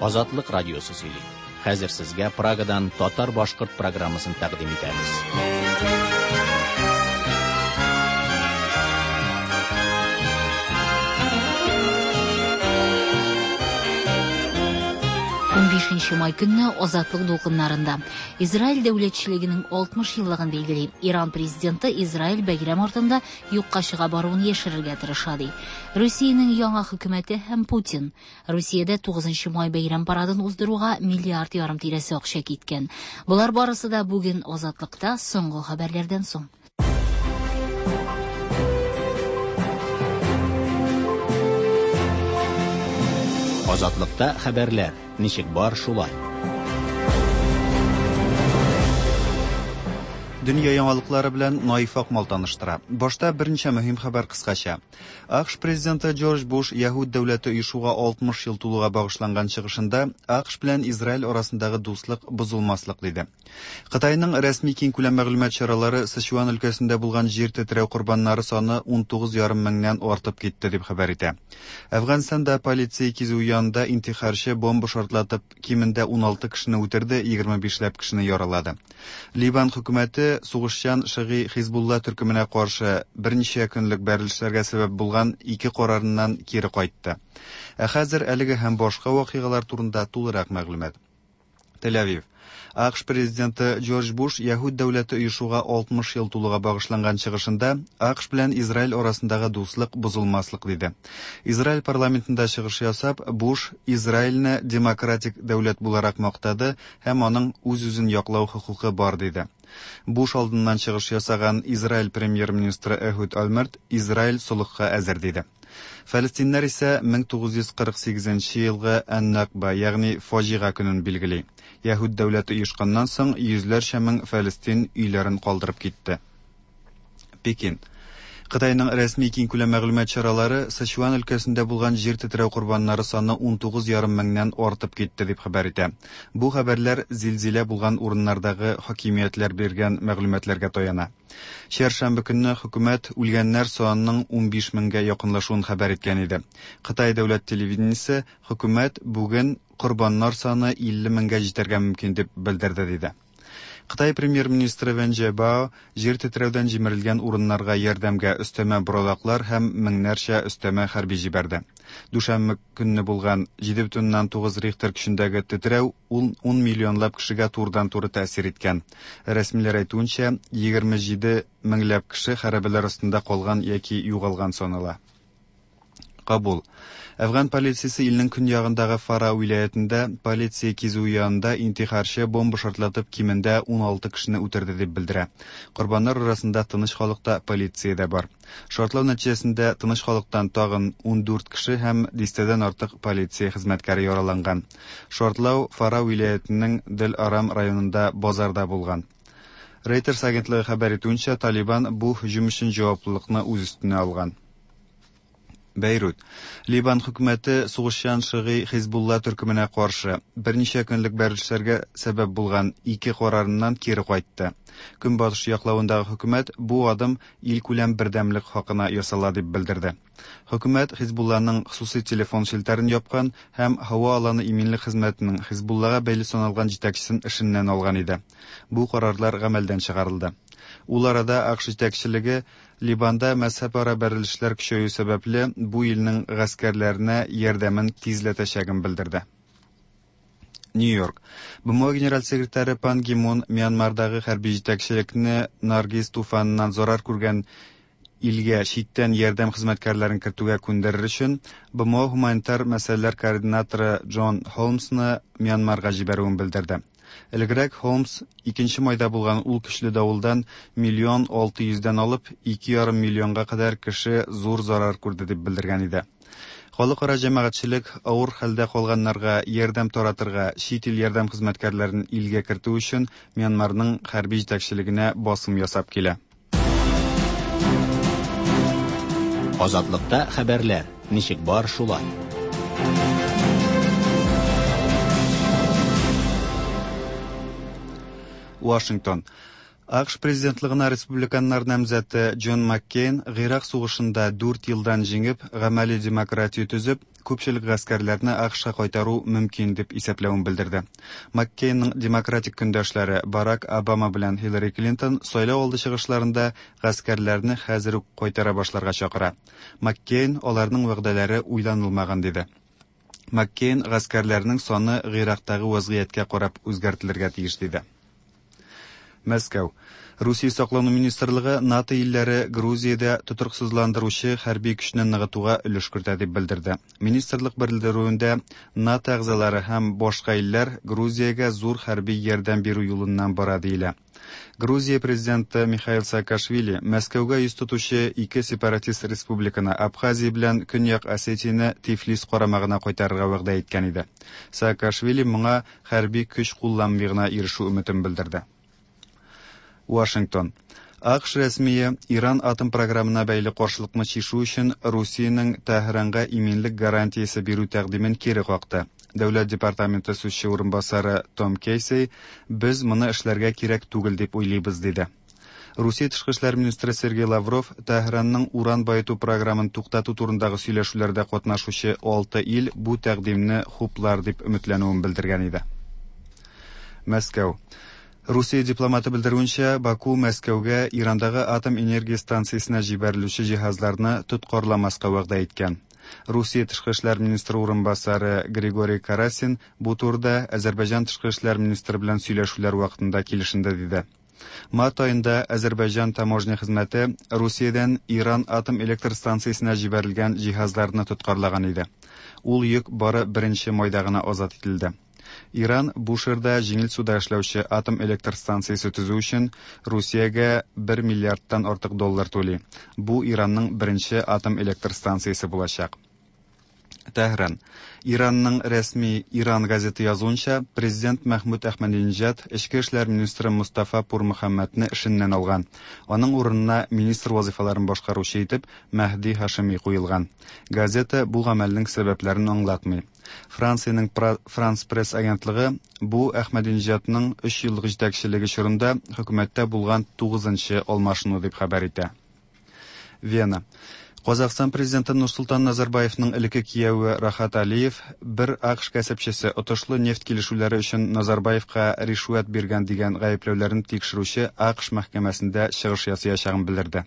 Азатлык радиосы сөйли. Хәзер сезгә Прагадан татар-башкорт программасын тәкъдим итәбез. 15 май көнне Азатлык дулкыннарында Израиль дәүләтчелегенең 60 еллыгын билгели. Иран президенты Израиль бәйрәм артында юкка чыга баруын яшерергә тырыша ди. Русиянең яңа хөкүмәте һәм Путин. Русиядә 9 май бәйрәм парадын уздыруга миллиард ярым тирәсе акча киткән. Болар барысы да бүген Азатлыкта соңгы хәбәрләрдән соң. Азатлыкта хәбәрләр ничек бар шулай. Дөнья яңалыклары белән Наиф Акмал таныштыра. Башта берничә мөһим хәбәр кыскача. АКШ президенты Джордж Буш Яһүд дәүләте оешуга 60 ел тулуга багышланган чыгышында АКШ белән Израиль арасындагы дуслык бозылмаслык диде. Кытайның рәсми киңкүләм мәгълүмат чаралары Сычуан өлкәсендә булган җир тетрәү корбаннары саны 19,5 меңнән артып китте дип хәбәр итә. Әфганстанда полиция кизүе янында интихарчы бомба шартлатып кимендә 16 кешене үтерде, 25 ләп кешене яралады. Ливан хөкүмәте сугышчан шыгый Хизбулла төркеменә каршы берничә көнлек бәрелешләргә сәбәп булган ике карарыннан кире кайтты. Ә хәзер әлеге һәм башка вакыйгалар турында тулырак мәгълүмат. Тель-Авив. АКШ президенты Джордж Буш Яһүд дәүләте оешуга 60 ел тулуга багышланган чыгышында АКШ белән Израиль арасындагы дуслык бозылмаслык диде. Израиль парламентында чыгыш ясап, Буш Израильне демократик дәүләт буларак мактады һәм аның үз-үзен яклау хокукы бар диде. Буш алдыннан чыгыш ясаган Израиль премьер-министры Эхуд Ольмерт Израиль солыхка әзер диде. Фәлестиннәр исә 1948 елгы Ән-Накба, ягъни фаҗига көнен билгели. Яһүд дәүләте оешканнан соң йөзләрчә мең фәлестин өйләрен калдырып китте. Пекин. Кытайның рәсми киңкүләм мәгълүмат чаралары Сычуан өлкәсендә булган җир тетрәү корбаннары саны 19,5 меңнән артып китте дип хәбәр итә. Бу хәбәрләр зилзилә булган урыннардагы хакимиятләр биргән мәгълүматларга таяна. Чәршәмбе көнне хөкүмәт үлгәннәр санының 15 меңгә якынлашуын хәбәр иткән иде. Кытай дәүләт телевидениесе хөкүмәт бүген корбаннар саны 50 меңгә җитәргә мөмкин дип белдерде диде. Кытай премьер-министры Вен Джебао җир тетрәүдән җимерелгән урыннарга ярдәмгә өстәмә боралаклар һәм меңнәрчә өстәмә хәрби җибәрде. Дүшәмбе көнне булган 7,9 Рихтер көчендәге тетрәү 10 миллионлап кешегә турыдан-туры тәэсир иткән. Рәсмиләр әйтүенчә, 27 меңләп кеше хәрабәләр астында калган яки югалган санала. Кабул. Әфган полициясе илнең көньягындагы Фара вилаятендә полиция кизүе янында интихарчы бомба шартлатып кимендә 16 кешене үтерде дип белдерә. Корбаннар арасында тыныч халык та, полиция дә бар. Шартлау нәтиҗәсендә тыныч халыктан тагын 14 кеше һәм дистәдән артык полиция хезмәткәре яраланган. Шартлау Фара вилаятенең Дел-Арам районында базарда булган. Reuters агентлыгы хәбәр итүенчә, Талибан бу һөҗүм өчен җаваплылыкны үз өстенә алган. Бәйрут. Ливан хөкүмәте сугышчан шыгый Хизбулла төркеменә каршы берничә көнлек бәрелешләргә сәбәп булган ике карарыннан кире кайтты. Көнбатыш яклавындагы хөкүмәт бу адым илкүләм бердәмлек хакына ясала дип белдерде. Хөкүмәт Хизбулланың хосусый телефон челтәрен япкан һәм һава аланы иминлек хезмәтенең Хизбуллага бәйле саналган җитәкчесен эшеннән алган иде. Бу карарлар гамәлдән чыгарылды. Ул арада АКШ җитәкчелеге Ливанда мәзһәбара бәрелешләр көчәю сәбәпле бу илнең гаскәрләренә ярдәмен тизләтәчәген белдерде. Нью-Йорк. БМО генераль секретаре Пан Ги Мун Мьянмардагы хәрби җитәкчелекне Наргиз туфаныннан зарар күргән илгә читтән ярдәм хезмәткәрләрен кертүгә күндерер өчен БМО гуманитар мәсьәләләр координаторы Джон Холмсны Мьянмарга җибәрүен белдерде. Элегрәк Холмс 2 майда булган ул көчле давылдан миллион алты йөздән алып 2,5 миллионга кадәр кеше зур зарар күрде дип белдергән иде. Халыкара җәмәгатьчелек авыр хәлдә калганнарга ярдәм таратырга, чит ил ярдәм хезмәткәрләрен илгә кертү өчен Мьянмарның хәрби җитәкчелегенә басым ясап килә. Азатлыкта хәбәрләр ничек бар шулай. Вашингтон. АКШ президентлыгына республиканнар намзәте Джон Маккейн Гыйрак сугышында 4 елдан җиңеп, гамәли демократия төзеп, күпчелек гаскәрләрне АКШка кайтару мөмкин дип исәпләвен белдерде. Маккейнның демократик көндәшләре Барак Обама белән Хиллари Клинтон сайлау алды чыгышларында гаскәрләрне хәзер үк кайтара башларга чакыра. Маккейн аларның вәгъдәләре уйланылмаган диде. Маккейн гаскәрләрнең саны Гыйрактагы вазгыятькә карап үзгәртелергә тиеш диде. Мәскәү. Русия саклану министрлыгы НАТО илләре Грузиядә тотрыксызландыручы хәрби көчне ныгытуга өлеш кертә дип белдерде. Министрлык белдерүендә НАТО әгъзалары һәм башка илләр Грузиягә зур хәрби ярдәм бирү юлыннан бара диелә. Грузия президенты Михаил Саакашвили Мәскәүгә йөз тотучы ике сепаратист республиканы Абхазия белән Көньяк Осетияне Тифлис карамагына кайтарырга вәгъдә иткән иде. Саакашвили моңа хәрби көч кулланмый гына ирешү өметен белдерде. Вашингтон. АКШ рәсмие Иран атом програмына бәйле каршылыкны чишү өчен Русиянең Тәһранга иминлек гарантиясе бирү тәкъдимен кире какты. Дәүләт департаменты сүзче урынбасары Том Кейси без моны эшләргә кирәк түгел дип уйлыйбыз диде. Русия тышкы эшләр министры Сергей Лавров Тәһранның уран баету програмын туктату турындагы сөйләшүләрдә катнашучы 6 ил бу тәкъдимне хуплар дип өметләнүен белдергән иде. Мәскәү. Русия дипломаты белдерүенчә, Баку Мәскәүгә Ирандагы атом энергия станциясенә җибәрелүче җиһазларны тоткарламаска вәгъдә иткән. Русия тышкы эшләр министры урынбасары Григорий Карасин бу турыда Азәрбайҗан тышкы эшләр министры белән сөйләшүләр вакытында килешенде диде. Март аенда Азәрбайҗан таможня хезмәте Русиядән Иран атом электр станциясенә җибәрелгән җиһазларны тоткарлаган иде. Ул йөк бары 1 майда гына азат ителде. Иран Бушерда җиңел суда эшләүче атом электр станциясе төзү өчен Русиягә 1 миллиардтан артык доллар түли. Бу Иранның беренче атом электр станциясе булачак. Тәһран. Иранның рәсми Иран газеты язуынча, президент Мәхмүд Әхмәдинежад эчке эшләр министры Мустафа Пурмөхәммәдне эшеннән алган. Аның урынына министр вазифаларын башкаручы итеп Мәһди Һашими куелган. Газета бу гамәлнең сәбәпләрен аңлатмый. Франциянең Франс Пресс агентлыгы бу Әхмәдинежадның 3 еллык җитәкчелеге чорында хөкүмәттә булган 9-нчы алмашыну дип хәбәр итә. Вена. Казахстан президенты Нурсултан Назарбаевның элекке кияве Рахат Алиев бер АКШ кәсепчесе отышлы нефть килешүләре өчен Назарбаевка ришвәт биргән дигән гаепләүләрен тикшерүче АКШ мәхкәмәсендә чыгыш ясаячагын белдерде.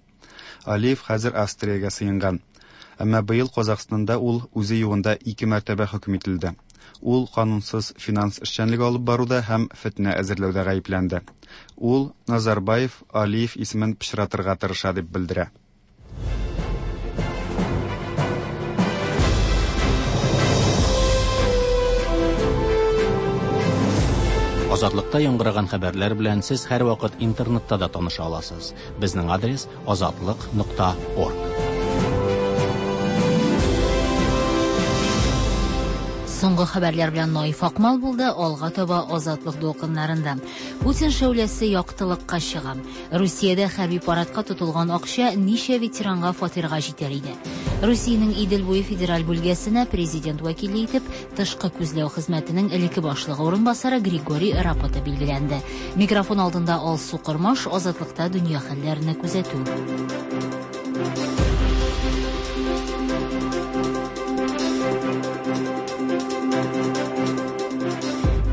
Алиев хәзер Австриягә сыенган. Әмма быел Казахстанда ул үзе югында ике мәртәбә хөкем ителде. Ул канунсыз финанс эшчәнлеге алып баруда һәм фетнә әзерләүдә гаепләнде. Ул Назарбаев Алиев исемен пычратырга тырыша дип белдерә. Азатлыкта яңгыраган хәбәрләр белән сез һәрвакыт интернетта да таныша аласыз. Безнең адрес azatliq.org. Соңгы хәбәрләр белән Наиф Акмал булды, алга таба Азатлык дулкыннарында. Путин шәүләсе яктылыкка чыга. Русиядә хәрби парадка тотылган акча ничә ветеранга фатирга җитәр иде. Русиянең Идел буе федераль бүлгәсенә президент вәкиле итеп тышкы күзләү хезмәтенең элекке башлыгы урынбасары Григорий Рапота билгеләнде. Микрофон алдында Алсу Кормаш, Азатлыкта дөнья хәлләренә күзәтү.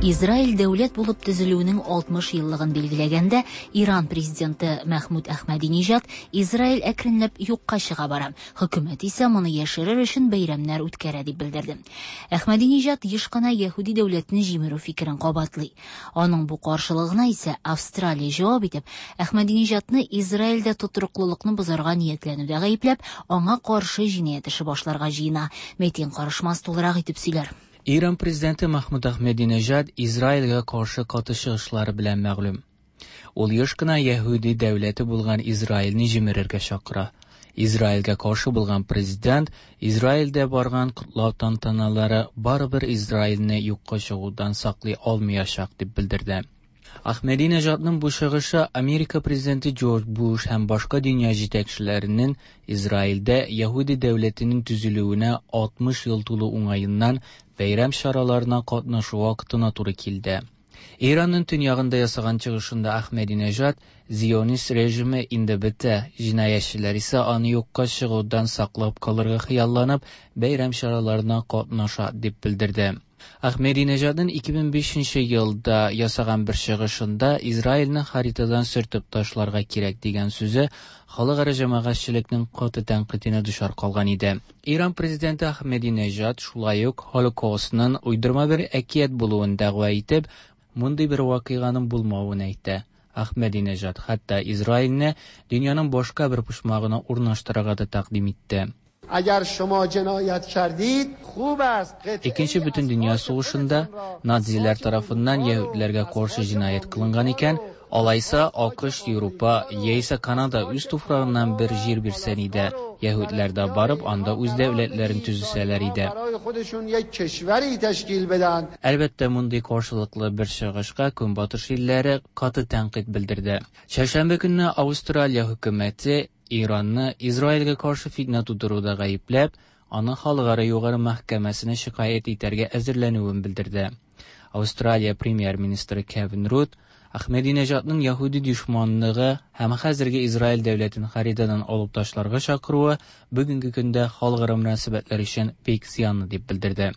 Израиль дәүләт булып төзелүенең 60 еллыгын билгеләгәндә, Иран президенты Мәхмүд Әхмәдинежад Израиль әкренләп юкка чыга бара. Хөкүмәт исә моны яшерер өчен бәйрәмнәр үткәрә дип белдерде. Әхмәдинежад еш кына яһүди дәүләтен җимерү фикерен кабатлый. Аның бу каршылыгына исә Австралия җавап итеп, Әхмәдинежадны Израильдә тотрыклылыкны бозарга ниятләнүдә гаепләп, аңа каршы җинаять эше башларга җыена. Мәтин Карышмас тулырак итеп сөйләр. İran prezidenti Mahmud Ahmadinejad İsrailgә каршы каты чыгышлары белән мәгълүм. Ул еш кына яһүди дәүләте булган Израильне җимерергә чакыра. Израильгә каршы булган президент Израильдә барган котлау тантаналары барыбер Израильне юкка чыгудан саклый алмаячак дип белдерде. Ahmadinejadның бу чыгышы Америка президенты Джордж Буш һәм башка дөнья җитәкчеләренең Израильдә яһүди дәүләтенең төзелүенә 60 ел тулу уңаеннан бәйрәм чараларына катнашу вакытына туры килде. Иранның төньягында ясаган чыгышында Әхмәдинежад зионист режимы инде бетә, җинаятьчеләр исә аны юкка чыгудан саклап калырга хыялланып, бәйрәм чараларына катнаша, дип белдерде. Әхмәдинежадның 2005 елда ясаган бер чыгышында Израильне харитадан сөртеп ташларга кирәк дигән сүзе халыкара җәмәгатьчелекнең каты тәнкыйтенә дучар калган иде. Иран президенты Әхмәдинежад шулай ук Холокостның уйдырма бер әкият булуын дәгъва итеп, мондый бер вакыйганың булмавын әйтә. Әхмәдинежад хәтта Израильне дөньяның башка бер почмагына урнаштырырга да тәкъдим итте. اگر شما جنایت کردید خوب است Икенче бөтендөнья сугышында нацилар тарафыннан яһүдләргә каршы җинаять кылынган икән, алайса АКШ, Европа яисә Канада үз туфрагыннан бер җир бирсен иде, яһүдләр дә барып анда үз дәүләтләрен төзесәләр иде. برای خودشون یک کشوری تشکیل بدن. Әлбәттә, мондый каршылыклы бер чыгышка Көнбатыш илләре каты тәнкыйть белдерде. Чәршәмбе көнне Австралия хөкүмәте Иранны Израильгә каршы фитнә тудыруда гаепләп, аны халыкара югары мәхкәмәсенә шикаять итәргә әзерләнүен белдерде. Австралия премьер-министры Кевин Руdd Әхмәдинежадның яһүди дошманлыгы һәм хәзерге Израиль дәүләтен харитадан алып ташларга чакыруы бүгенге көндә халыкара мөнәсәбәтләр өчен бик зыянлы дип белдерде.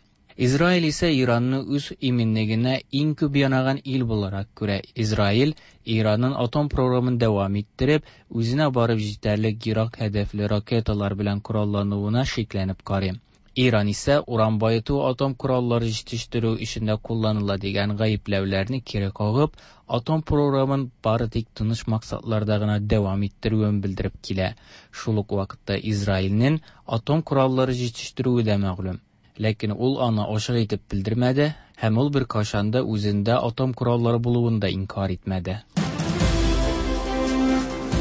Израиль исә Иранны үз иминлегенә иң күп янаган ил буларак күрә. Израиль Иранның атом програмын дәвам иттереп, үзенә барып җитәрлек ерак һәдәфле ракеталар белән кораллануына шикләнеп карый. Иран исә уран баету атом кораллары җитештерү эшендә кулланыла дигән гаепләүләрне кире кагып, атом програмын бары тик тыныч максатларда гына дәвам иттерүен белдереп килә. Шул ук вакытта Израильнең атом кораллары җитештерүе дә мәгълүм. Ләкин ул аны ачык итеп белдермәде һәм ул беркайчан да үзендә атом кораллары булуын да инкар итмәде.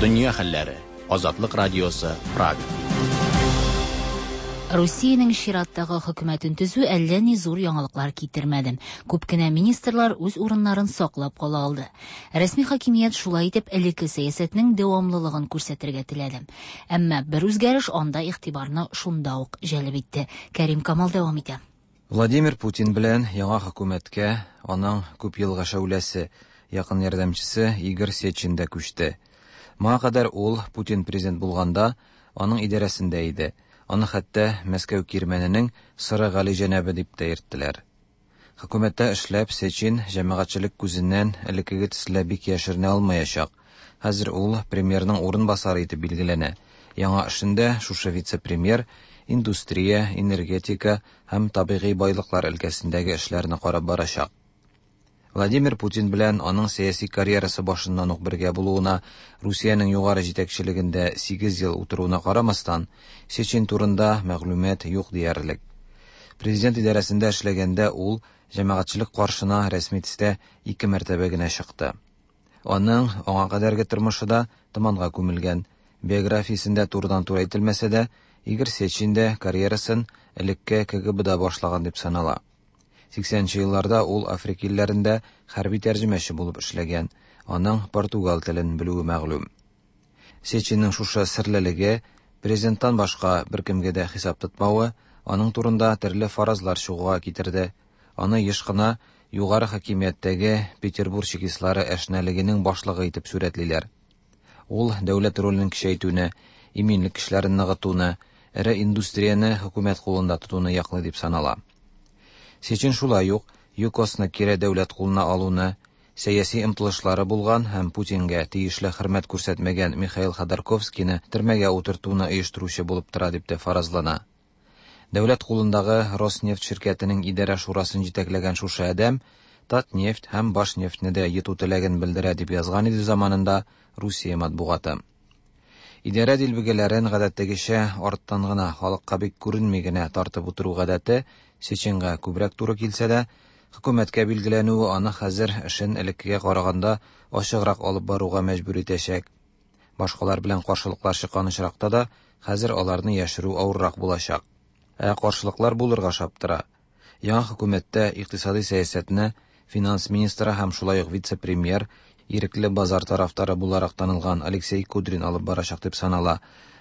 Дөнья хәлләре. Азатлык радиосы, Прага. Русиянең чираттагы хөкүмәтен төзү әллә ни зур яңалыклар китермәде. Күп кенә министрлар үз урыннарын саклап кала алды. Рәсми хакимият шулай итеп элекке сәясәтнең дәвамлылыгын күрсәтергә теләде. Әмма бер үзгәреш анда игътибарны шунда ук җәлеп итте. Кәрим Камал дәвам итә. Владимир Путин белән яңа хөкүмәткә аның күп елга шәүләсе, якын ярдәмчесе Игорь Сечин дә күчте. Моңа кадәр ул Путин президент булганда аның идарәсендә иде. Аны хәтта Мәскәү кирмәненең Сыры Гали җәнәбе дип тә йөрттеләр. Хөкүмәттә эшләп Сечин җәмәгатьчелек күзеннән элеккеге төсле бик яшеренә алмаячак. Хәзер ул премьерның урынбасары итеп билгеләнә. Яңа эшендә шушы вице-премьер индустрия, энергетика һәм табигый байлыклар өлкәсендәге эшләрне карап барачак. Владимир Путин белән аның сәяси карьерасы башыннан ук бергә булуына, Русиянең югары җитәкчелегендә 8 ел утыруына карамастан, Сечин турында мәгълүмат юк диярлек. Президент идарәсендә эшләгәндә ул җәмәгатьчелек каршына рәсми төстә 2 мәртәбә генә чыкты. Аның аңа кадәрге тормышы да томанга күмелгән. Биографиясендә турыдан-туры әйтелмәсә дә, Игорь Сечин дә карьерасын элекке КГБда башлаган дип санала. 80 елларда ул Африка илләрендә хәрби тәрҗемәче булып эшләгән, аның португал телен белүе мәгълүм. Сечинның шушы серлелеге, президенттан башка беркемгә дә хисап тотмавы, аның турында төрле фаразлар чыгуга китерде. Аны еш кына югары хакимияттәге Петербург чекистлары әшнәлегенең башлыгы итеп сурәтлиләр. Ул дәүләт ролен көчәйтүне, иминлек көчләрен ныгытуны, эре индустрияне хөкүмәт кулында тотуны яклый дип санала. Сечин шулай ук ЮКОСны кире дәүләт кулына алуны, сәяси омтылышлары булган һәм Путингә тиешле хөрмәт күрсәтмәгән Михаил Ходорковскийны төрмәгә утыртуны оештыручы булып тора дип тә фаразлана. Дәүләт кулындагы Роснефть ширкәтенең идарә шурасын җитәкләгән шушы адәм Татнефть һәм Башнефтьне дә йоту теләген белдерә дип язган иде заманында Русия матбугаты. Идарә дилбегәләрен гадәттәгечә арттан гына, халыкка бик күренми генә тартып утыру гадәте Сечинга күбрәк туры килсә дә, хөкүмәткә билгеләнүе аны хәзер эшен элеккегә караганда ачыграк алып баруга мәҗбүр итәчәк. Башкалар белән каршылыклар чыккан очракта да хәзер аларны яшерү авыррак булачак. Ә каршылыклар булырга шаптыра. Яңа хөкүмәттә икътисади сәясәтне финанс министры һәм шулай ук вице-премьер, ирекле базар тарафдары буларак танылган Алексей Кудрин алып барачак дип санала.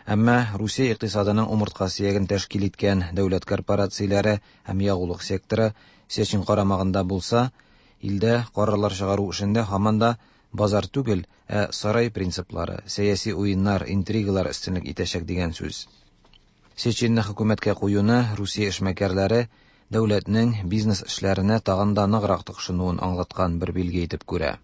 Әмма Русия икътисадының умыртка сөяген тәшкил иткән дәүләт корпорацияләре һәм ягулык секторы Сечин карамагында булса, Илдә карарлар чыгару эшендә һаман да базар түгел, ә сарай принциплары, сәяси уеннар, интригалар өстенлек итәчәк дигән сүз. Сечинны хөкүмәткә куюны Русия эшмәкәрләре дәүләтнең бизнес эшләренә тагын да ныграк тыкшынуын аңлаткан бер билге итеп күрә.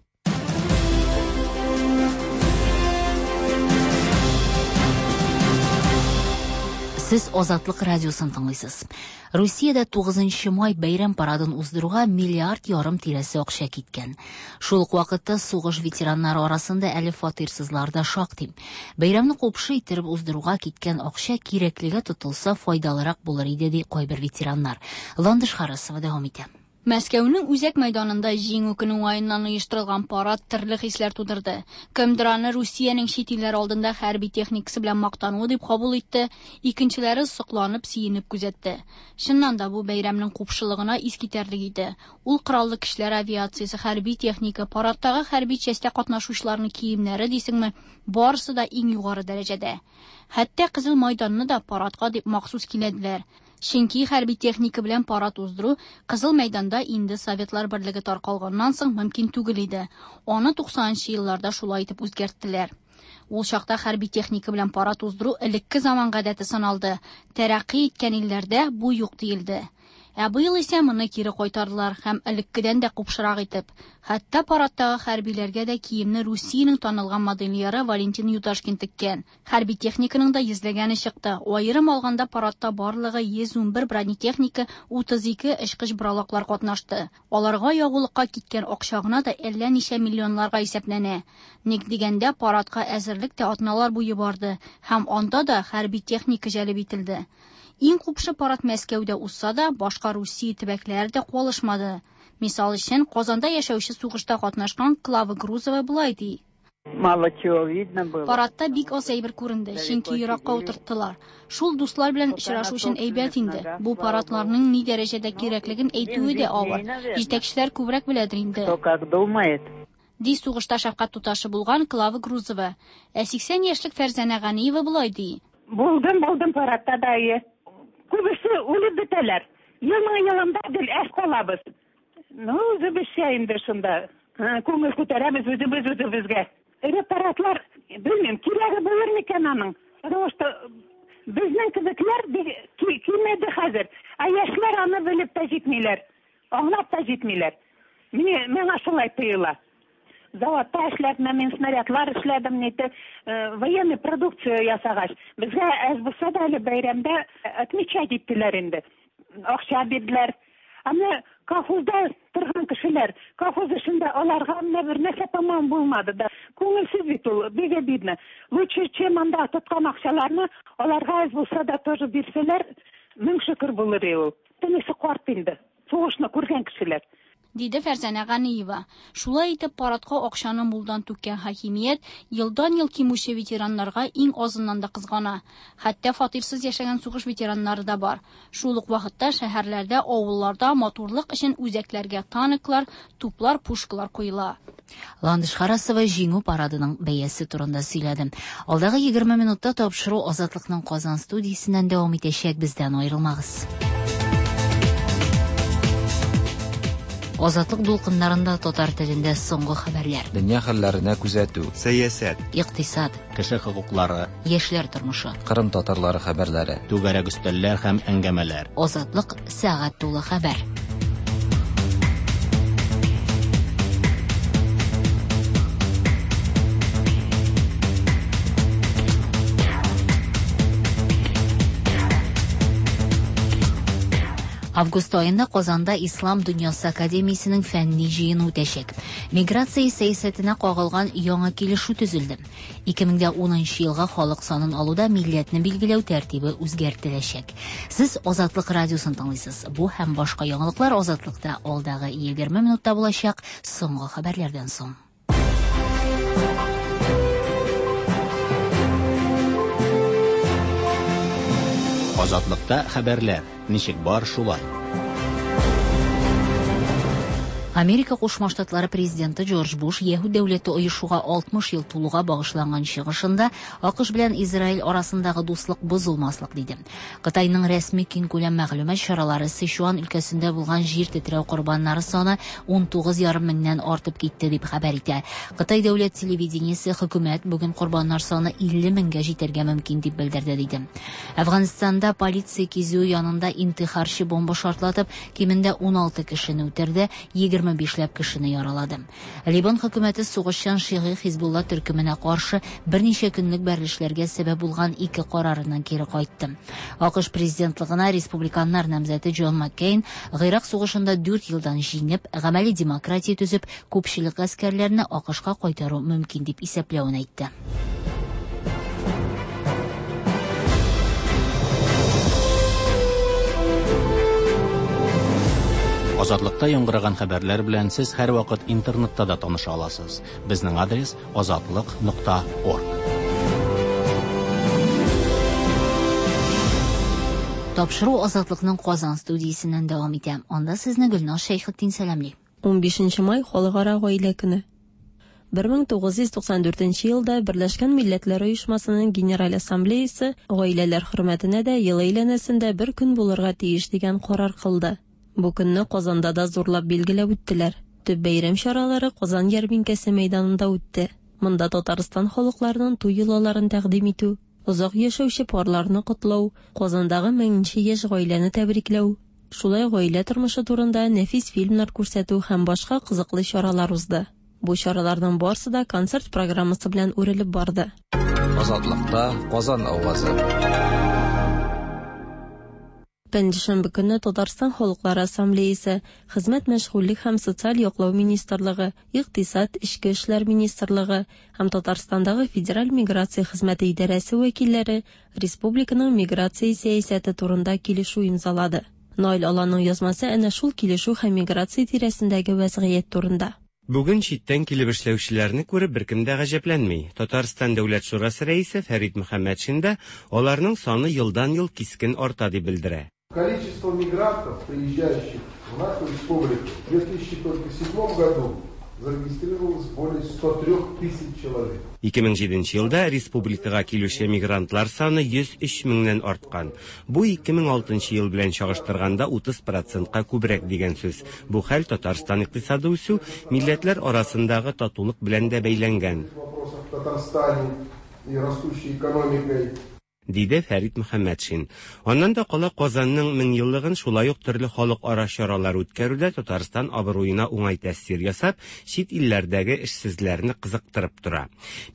Сез Азатлык радиосын тыңлыйсыз. Русиядә 9 май бәйрәм парадын уздыруга миллиард ярым тирәсе акча киткән. Шул ук вакытта сугыш ветераннары арасында әле фатирсызлар да шактый. Бәйрәмне купшы иттереп уздыруга киткән акча кирәклегә тотылса файдалырак булыр иде, ди кайбер ветераннар. Ландыш Харасова дәвам итә. Мәскәүнең үзәк мәйданында Җиңү көне уңаеннан оештырылган парад төрле хисләр тудырды. Кемдер аны Русиянең чит илләр алдында хәрби техникасы белән мактануы дип кабул итте, икенчеләре сокланып, сөенеп күзәтте. Чыннан да бу бәйрәмнең купшылыгына искитәрлек иде. Ул кораллы көчләр авиациясе, хәрби техника, парадтагы хәрби частьтә катнашучыларның киемнәре дисеңме, барысы да иң югары дәрәҗәдә. Хәтта Кызыл Майданны да парадка дип махсус киләделәр. Чөнки хәрби техника белән парад уздыру Кызыл мәйданда инде Советлар берлеге таркалганнан соң мөмкин түгел иде. Аны 90 елларда шулай итеп үзгәрттеләр. Ул чакта хәрби техника белән парад уздыру элекке заман гадәте саналды. Тәрәкъкый иткән илләрдә бу юк диелде. Ә быел исә моны кире кайтардылар һәм элеккедән дә купшырак итеп. Хәтта парадтагы хәрбиләргә дә киемне Русиянең танылган модельеры Валентин Юдашкин теккән. Хәрби техниканың да йөзләгәне чыкты. Аерым алганда парадта барлыгы 111 бронетехника, 32 очкыч боралаклар катнашты. Аларга ягулыкка киткән акча гына да әллә ничә миллионларга исәпләнә. Ник дигәндә, парадка әзерлек тә атналар буе барды һәм анда да хәрби техника җәлеп ителде. Иң купшы парад Мәскәүдә узса да, башка Русия төбәкләре дә калышмады. Мисал өчен, Казанда яшәүче сугышта катнашкан Клава Грузова болай ди. Мало чего видно было. Парадта бик аз әйбер күренде, чөнки еракка утырттылар. Шул дуслар белән очрашу өчен әйбәт инде. Бу парадларның ни дәрәҗәдә кирәклеген әйтүе дә авыр. Җитәкчеләр күбрәк беләдер инде. Кто как думает. Ди сугышта шәфкать туташы булган Клава Грузова. Ә 80 яшьлек Фәрзәнә Ганиева болай ди. Булдым, булдым парадта да. Күбесе үлеп бетәләр. Елның елында гел әз калабыз. Ну, үзебезчә инде шунда. Күңел күтәрәбез үзебез үзебезгә. Эре парадлар, белмим, кирәге булыр микән аның? Потому что безнең кебекләр кимеде хәзер. Ә яшьләр аны белеп тә җитмиләр, аңлап та җитмиләр. Миңа шулай тоела. Заводта эшләдем, мин снарядлар эшләдем, нете, военный продукция ясагач. Безгә әз булса да әле бәйрәмдә отмечать иттеләр инде. Акча бирделәр. Ә менә колхозда торган кешеләр, колхоз эшендә аларга менә бер нәрсә тамам булмады да. Күңелсез бит ул, бик обидно. Лучше, чем анда тоткан акчаларны аларга әз булса да тоже бирсәләр, мең шөкер булыр иде ул. Төнесе карт инде. Сугышны күргән кешеләр. Диде Фәрзәнә Ганиева. Шулай итеп парадка акчаны мулдан түккән хакимият елдан-ел кимүче ветераннарга иң азыннан да кызгана. Хәтта фатирсыз яшәгән сугыш ветераннары да бар. Шул ук вакытта шәһәрләрдә, авылларда матурлык өчен үзәкләргә танклар, туплар, пушкалар куела. Ландыш Харасова Җиңү парадының бәясе турында сөйләде. Алдагы 20 минутта тапшыру Азатлыкның Казан студиясеннән дәвам итәчәк, бездән аерылмагыз. Азатлык дулкыннарында татар телендә соңгы хәбәрләр. Дөнья хәлләренә күзәтү. Сәясәт. Икътисад. Кеше хокуклары. Яшьләр тормышы. Кырым татарлары хәбәрләре. Түгәрәк өстәлләр һәм әңгәмәләр. Азатлык сәгать тулы хәбәр. Август аенда Казанда Ислам дөньясы академиясенең фәнни җыены үтәчәк. Миграция сәясәтенә кагылган яңа килешү төзелде. 2010 елга халык санын алуда милләтне билгеләү тәртибе үзгәртеләчәк. Сез Азатлык радиосын тыңлыйсыз. Бу һәм башка яңалыклар Азатлыкта алдагы 20 минутта булачак соңгы хәбәрләрдән соң. Азатлыкта хәбәрләр. Ничек бар шулай. Америка Кушма Штатлары президенты Джордж Буш Яһүд дәүләте оешуга 60 ел тулуга багышланган чыгышында АКШ белән Израиль арасындагы дуслык бозылмаслык диде. Кытайның рәсми киңкүләм мәгълүмат чаралары Сычуан өлкәсендә булган җир тетрәү корбаннары саны 19,5 меңнән артып китте дип хәбәр итә. Кытай дәүләт телевидениесе хөкүмәт бүген корбаннар саны 50 меңгә җитәргә мөмкин дип белдерде диде. Әфганстанда полиция кизүе янында интихарчы бомба шартлатып, кимендә 16 кешене үтерде, 25 ләп кешене яралады. Либан хөкүмәте сугышчан шигый Хизбулла төркеменә каршы берничә көнлек бәрелешләргә сәбәп булган ике карарыннан кире кайтты. АКШ президентлыгына республиканнар намзәте Джон Маккейн Гыйрак сугышында 4 елдан җиңеп, гамәли демократия төзеп, күпчелек гаскәрләрне АКШка кайтару мөмкин дип исәпләвен әйтте. Азатлыкта яңгыраган хәбәрләр белән сез һәрвакыт интернетта да таныша аласыз. Безнең адрес азатлык.орг. Тапшыру Азатлыкның Казан студиясеннән дәвам итә. Анда сезне Гөлназ Шәйхетдин сәламли. 15 май Халыкара гаилә көне. 1994 елда Берләшкән Милләтләр Оешмасының Генераль Ассамблеясы гаиләләр хөрмәтенә дә ел әйләнәсендә бер көн булырга тиеш дигән карар кылды. Бу көнне Казанда да зурлап билгеләп үттеләр. Төп бәйрәм чаралары Казан ярминкәсе мәйданында үтте. Монда Татарстан халыкларының туй йолаларын тәкъдим итү, озак яшәүче парларны котлау, Казандагы меңенче яшь гаиләне тәбрикләү, шулай гаилә тормышы турында нәфис фильмнар күрсәтү һәм башка кызыклы чаралар узды. Бу чараларның барсы да концерт программасы белән үрелеп барды. Азатлыкта Казан авазы. Пәнҗешәмбе көнне Татарстан Халыклары Ассамблеясы, Хезмәт мәшгульлек һәм социаль яклау министрлыгы, Икътисад, Эчке эшләр министрлыгы һәм Татарстандагы Федераль миграция хезмәте идарәсе вәкилләре республиканың миграция сәясәте турында килешү имзалады. Наил Аланның язмасы әнә шул килешү һәм миграция тирәсендәге вәзгыять турында. Бүген читтән килеп эшләүчеләрне күреп беркем дә гаҗәпләнми. Татарстан Дәүләт шурасы рәисе Фәрит Мөхәммәтшин дә аларның саны елдан-ел кискен арта дип белдерә. Количество мигрантов, приезжающих в нашу республику, в 2007 году зарегистрировалось более 103 тысяч человек. 2007 елда республикага килүче мигрантлар саны 103 меңнән арткан. Бу 2006 ел белән чагыштырганда 30%ка күбрәк дигән сүз. Бу хәл Татарстан икътисады үсү, милләтләр арасындагы татулык белән дә бәйләнгән. В Татарстане и растущей экономикой. Диде Фәрит Мөхәммәтшин. Аннан да кала Казанның меңьеллыгын шулай ук төрле халыкара чаралар үткәрүдә Татарстан абруена уңай тәэсир ясап, чит илләрдәге эшсезләрне кызыктырып тора.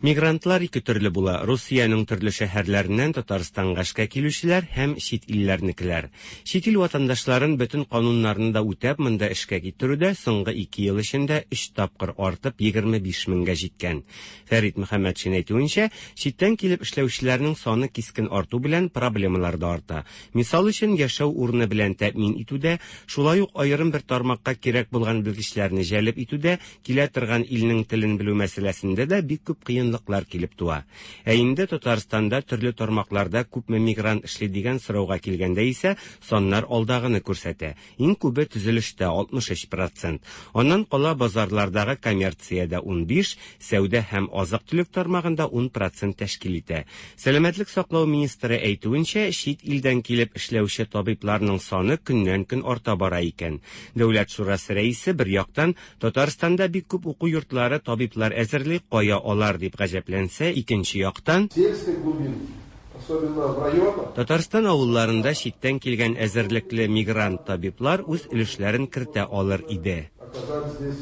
Мигрантлар ике төрле була: Русиянең төрле шәһәрләреннән Татарстанга эшкә килүчеләр һәм чит илләрнекеләр. Чит ил ватандашларын бөтен кануннарны да үтәп монда эшкә китерүдә соңгы 2 ел эчендә 3 тапкыр артып 25 меңгә җиткән. Фәрит Мөхәммәтшин әйтүенчә, читтән килеп эшләүчеләрнең саны кискен арту белән проблемалар да арта. Мисал өчен, яшәү урыны белән тәэмин итүдә, шулай ук аерым бер тармакка кирәк булган белгечләрне җәлеп итүдә, килә торган илнең телен белү мәсьәләсендә дә бик күп кыенлыклар килеп туа. Ә инде Татарстанда төрле тармакларда күпме мигрант эшли дигән сорауга килгәндә исә саннар алдагыны күрсәтә. Иң күбе төзелештә 63%. Аннан кала базарлардагы коммерциядә 15, сәүдә һәм азык-төлек тармагында 10% тәшкил итә. Сәламәтлек саклау министры әйтүенчә, чит илдән килеп эшләүче табибларның саны көннән-көн арта бара икән. Дәүләт шурасы рәисе бер яктан Татарстанда бик күп уку йортлары табиблар әзерли, кая алар дип гаҗәпләнсә, икенче яктан Сельской глубинки, особенно в районах, Татарстан авылларында читтән килгән әзерлекле мигрант табиблар үз өлешләрен кертә алыр иде. оказать здесь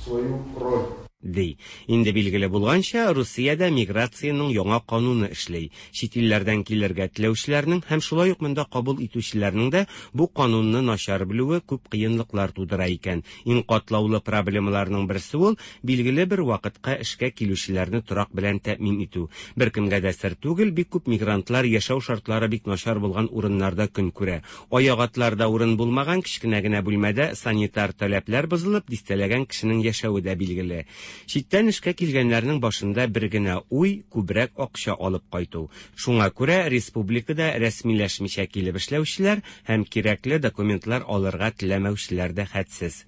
свою роль. Ди. Инде билгеле булганча, Русиядә миграциянең яңа кануны эшли. Чит илләрдән килергә теләүчеләрнең һәм шулай ук монда кабул итүчеләрнең дә бу канунны начар белүе күп кыенлыклар тудыра икән. Иң катлаулы проблемаларның берсе ул билгеле бер вакытка эшкә килүчеләрне торак белән тәэмин итү. Беркемгә дә сер түгел, бик күп мигрантлар яшәү шартлары бик начар булган урыннарда көн күрә. Аяк атларда урын булмаган кечкенә генә бүлмәдә санитар таләпләр бозылып, дистәләгән кешенең яшәве дә билгеле. Читтән эшкә килгәннәрнең башында бер генә уй, күбрәк акча алып кайту. Шуңа күрә республикада рәсмиләшмичә килеп эшләүчеләр һәм кирәкле документлар алырга теләмәүчеләр дә хәтсез.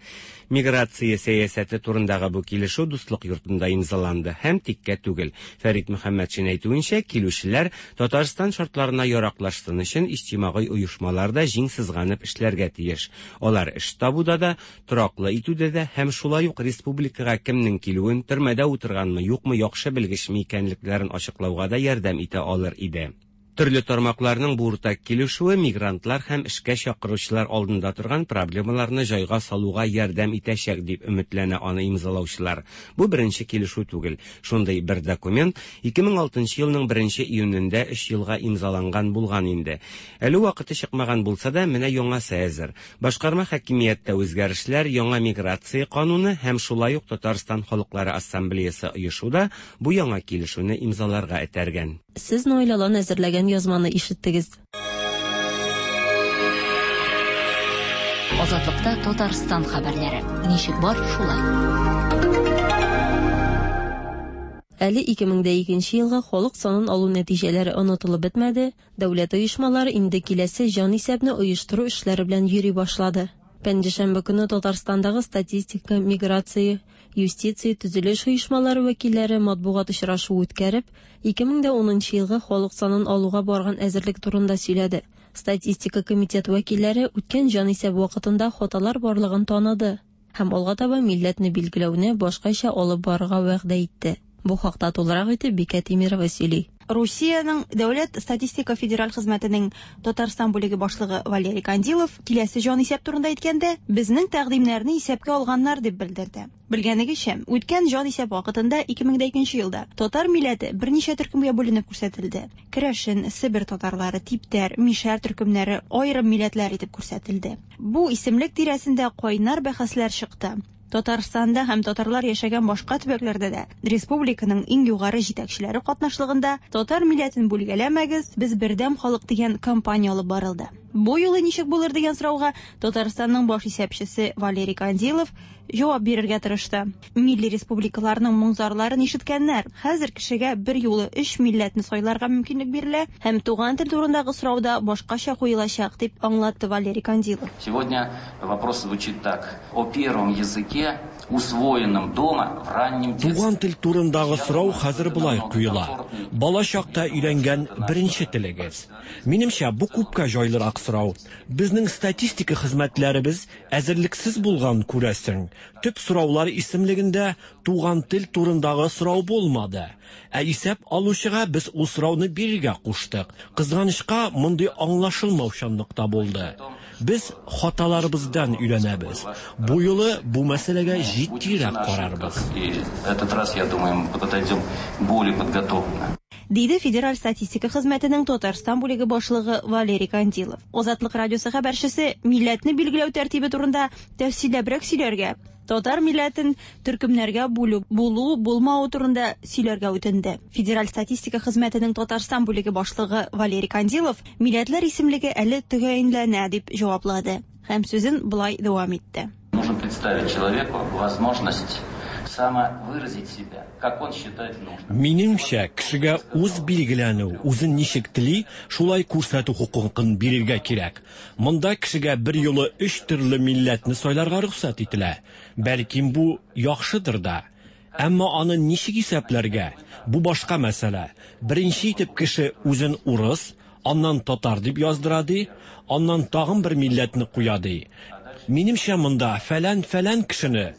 Миграция сәясәте турындагы бу килешү Дуслык йортында имзаланды һәм тиккә түгел. Фәрит Мөхәммәтшин әйтүенчә, килүчеләр Татарстан шартларына яраклашсын өчен иҗтимагый оешмалар да җиң сызганып эшләргә тиеш. Алар эш табуда да, тораклы итүдә дә һәм шулай ук республикага кемнең килүен, төрмәдә утырганмы, юкмы, яхшы белгечме икәнлекләрен ачыклауга да ярдәм итә алыр иде. Төрле тармакларның бу уртак килешүе мигрантлар һәм эшкә чакыручылар алдында торган проблемаларны җайга салуга ярдәм итәчәк, дип өметләнә аны имзалаучылар. Бу беренче килешү түгел. Шундый бер документ 2006 елның 1 июнендә өч елга имзаланган булган инде. Әле вакыты чыкмаган булса да, менә яңасы әзер. Башкарма хакимияттә үзгәрешләр, яңа миграция кануны һәм шулай ук Татарстан халыклары ассамблеясы оешу да бу яңа килешүне имзаларга этәргән. Сез Наил Алан әзерләгән язманы ишеттегез. Азатлыкта Татарстан хәбәрләре. Ничек бар, шулай. Әле 2002 елгы халык санын алу нәтиҗәләре онытылып бетмәде, дәүләт оешмалары инде киләсе җанисәпне оештыру эшләре белән йөри башлады. Пәнҗешәмбе көнне Татарстандагы статистика, миграция, юстиция, төзелеш оешмалары вәкилләре матбугат очрашуы үткәреп, 2010 елгы халык санын алуга барган әзерлек турында сөйләде. Статистика комитет вәкилләре үткән җанисәп вакытында хаталар барлыгын таныды һәм алга таба милләтне билгеләүне башкача алып барырга вәгъдә итте. Бу хакта тулырак итеп Бикә Тимирова сөйли. Русиянең Дәүләт статистика федераль хезмәтенең Татарстан бүлеге башлыгы Валерий Кандилов киләсе җанисәп турында әйткәндә, безнең тәкъдимнәрне исәпкә алганнар дип белдерде. Белгәнегезчә, үткән җанисәп вакытында 2002 елда татар милләте берничә төркемгә бүленеп күрсәтелде. Керәшен, Себер татарлары, типтәр, мишәр төркемнәре аерым милләтләр итеп күрсәтелде. Бу исемлек тирәсендә кайнар бәхәсләр чыкты. Татарстанда һәм татарлар яшәгән башка төбәкләрдә дә республиканың иң югары җитәкчеләре катнашлыгында татар милләтен бүлгәләмәгез, без бердәм халык дигән кампания алып барылды. Бу юлы ничек булыр дигән сорауга Татарстанның баш исәпчесе Валерий Кандилов җавап бирергә тырышты. Милли республикаларның моң-зарларын ишеткәннәр. Хәзер кешегә бер юлы өч милләтне сайларга мөмкинлек бирелә һәм туган тел турындагы сорау да башкача куелачак, дип аңлатты Валерий Кандилов. Сегодня вопрос звучит так. О первом языке, усвоенном дома в раннем детстве. Туган тел турындагы сорау хәзер болай куела. Бала чакта өйрәнгән беренче телегез. Минемчә, бу күпкә җайлырак сорау. Безнең статистика хезмәтләребез әзерлексез булган, күрәсең. Төп сораулар исемлегендә туган тел турындагы сорау булмады. Ә исәп алучыга без ул сорауны бирергә куштык. Кызганычка, мондый аңлашылмаучанлык та булды. Без хаталарыбыздан өйрәнәбез. Бу юлы бу мәсьәләгә җитдирәк карарбыз. И этот раз, я думаю, мы подойдем более подготовленно. Диде Федераль статистика хезмәтенең Татарстан бүлеге башлыгы Валерий Кандилов. Азатлык радиосы хәбәрчесе милләтне билгеләү тәртибе турында тәфсилләбрәк сөйләргә, татар милләтен төркемнәргә бүлү булу булмавы турында сөйләргә үтенде. Федераль статистика хезмәтенең Татарстан бүлеге башлыгы Валерий Кандилов милләтләр исемлеге әле төгәенләнә дип җаваплады һәм сүзен болай дәвам итте. Нужно представить человеку возможность самовыразить себя, как он считает нужным. Минемчә, кешегә үз билгеләнү, үзен ничек тели, шулай күрсәтү хокукын бирергә кирәк. Монда кешегә бер юлы өч төрле милләтне сайларга рөхсәт ителә. Бәлкем бу яхшыдыр да. Әмма аны ничек исәпләргә? Бу башка мәсьәлә. Беренче итеп кеше үзен урыс, аннан татар дип яздыра ди, аннан тагын бер милләтне куя ди. Минемчә, монда фәлән-фәлән кешене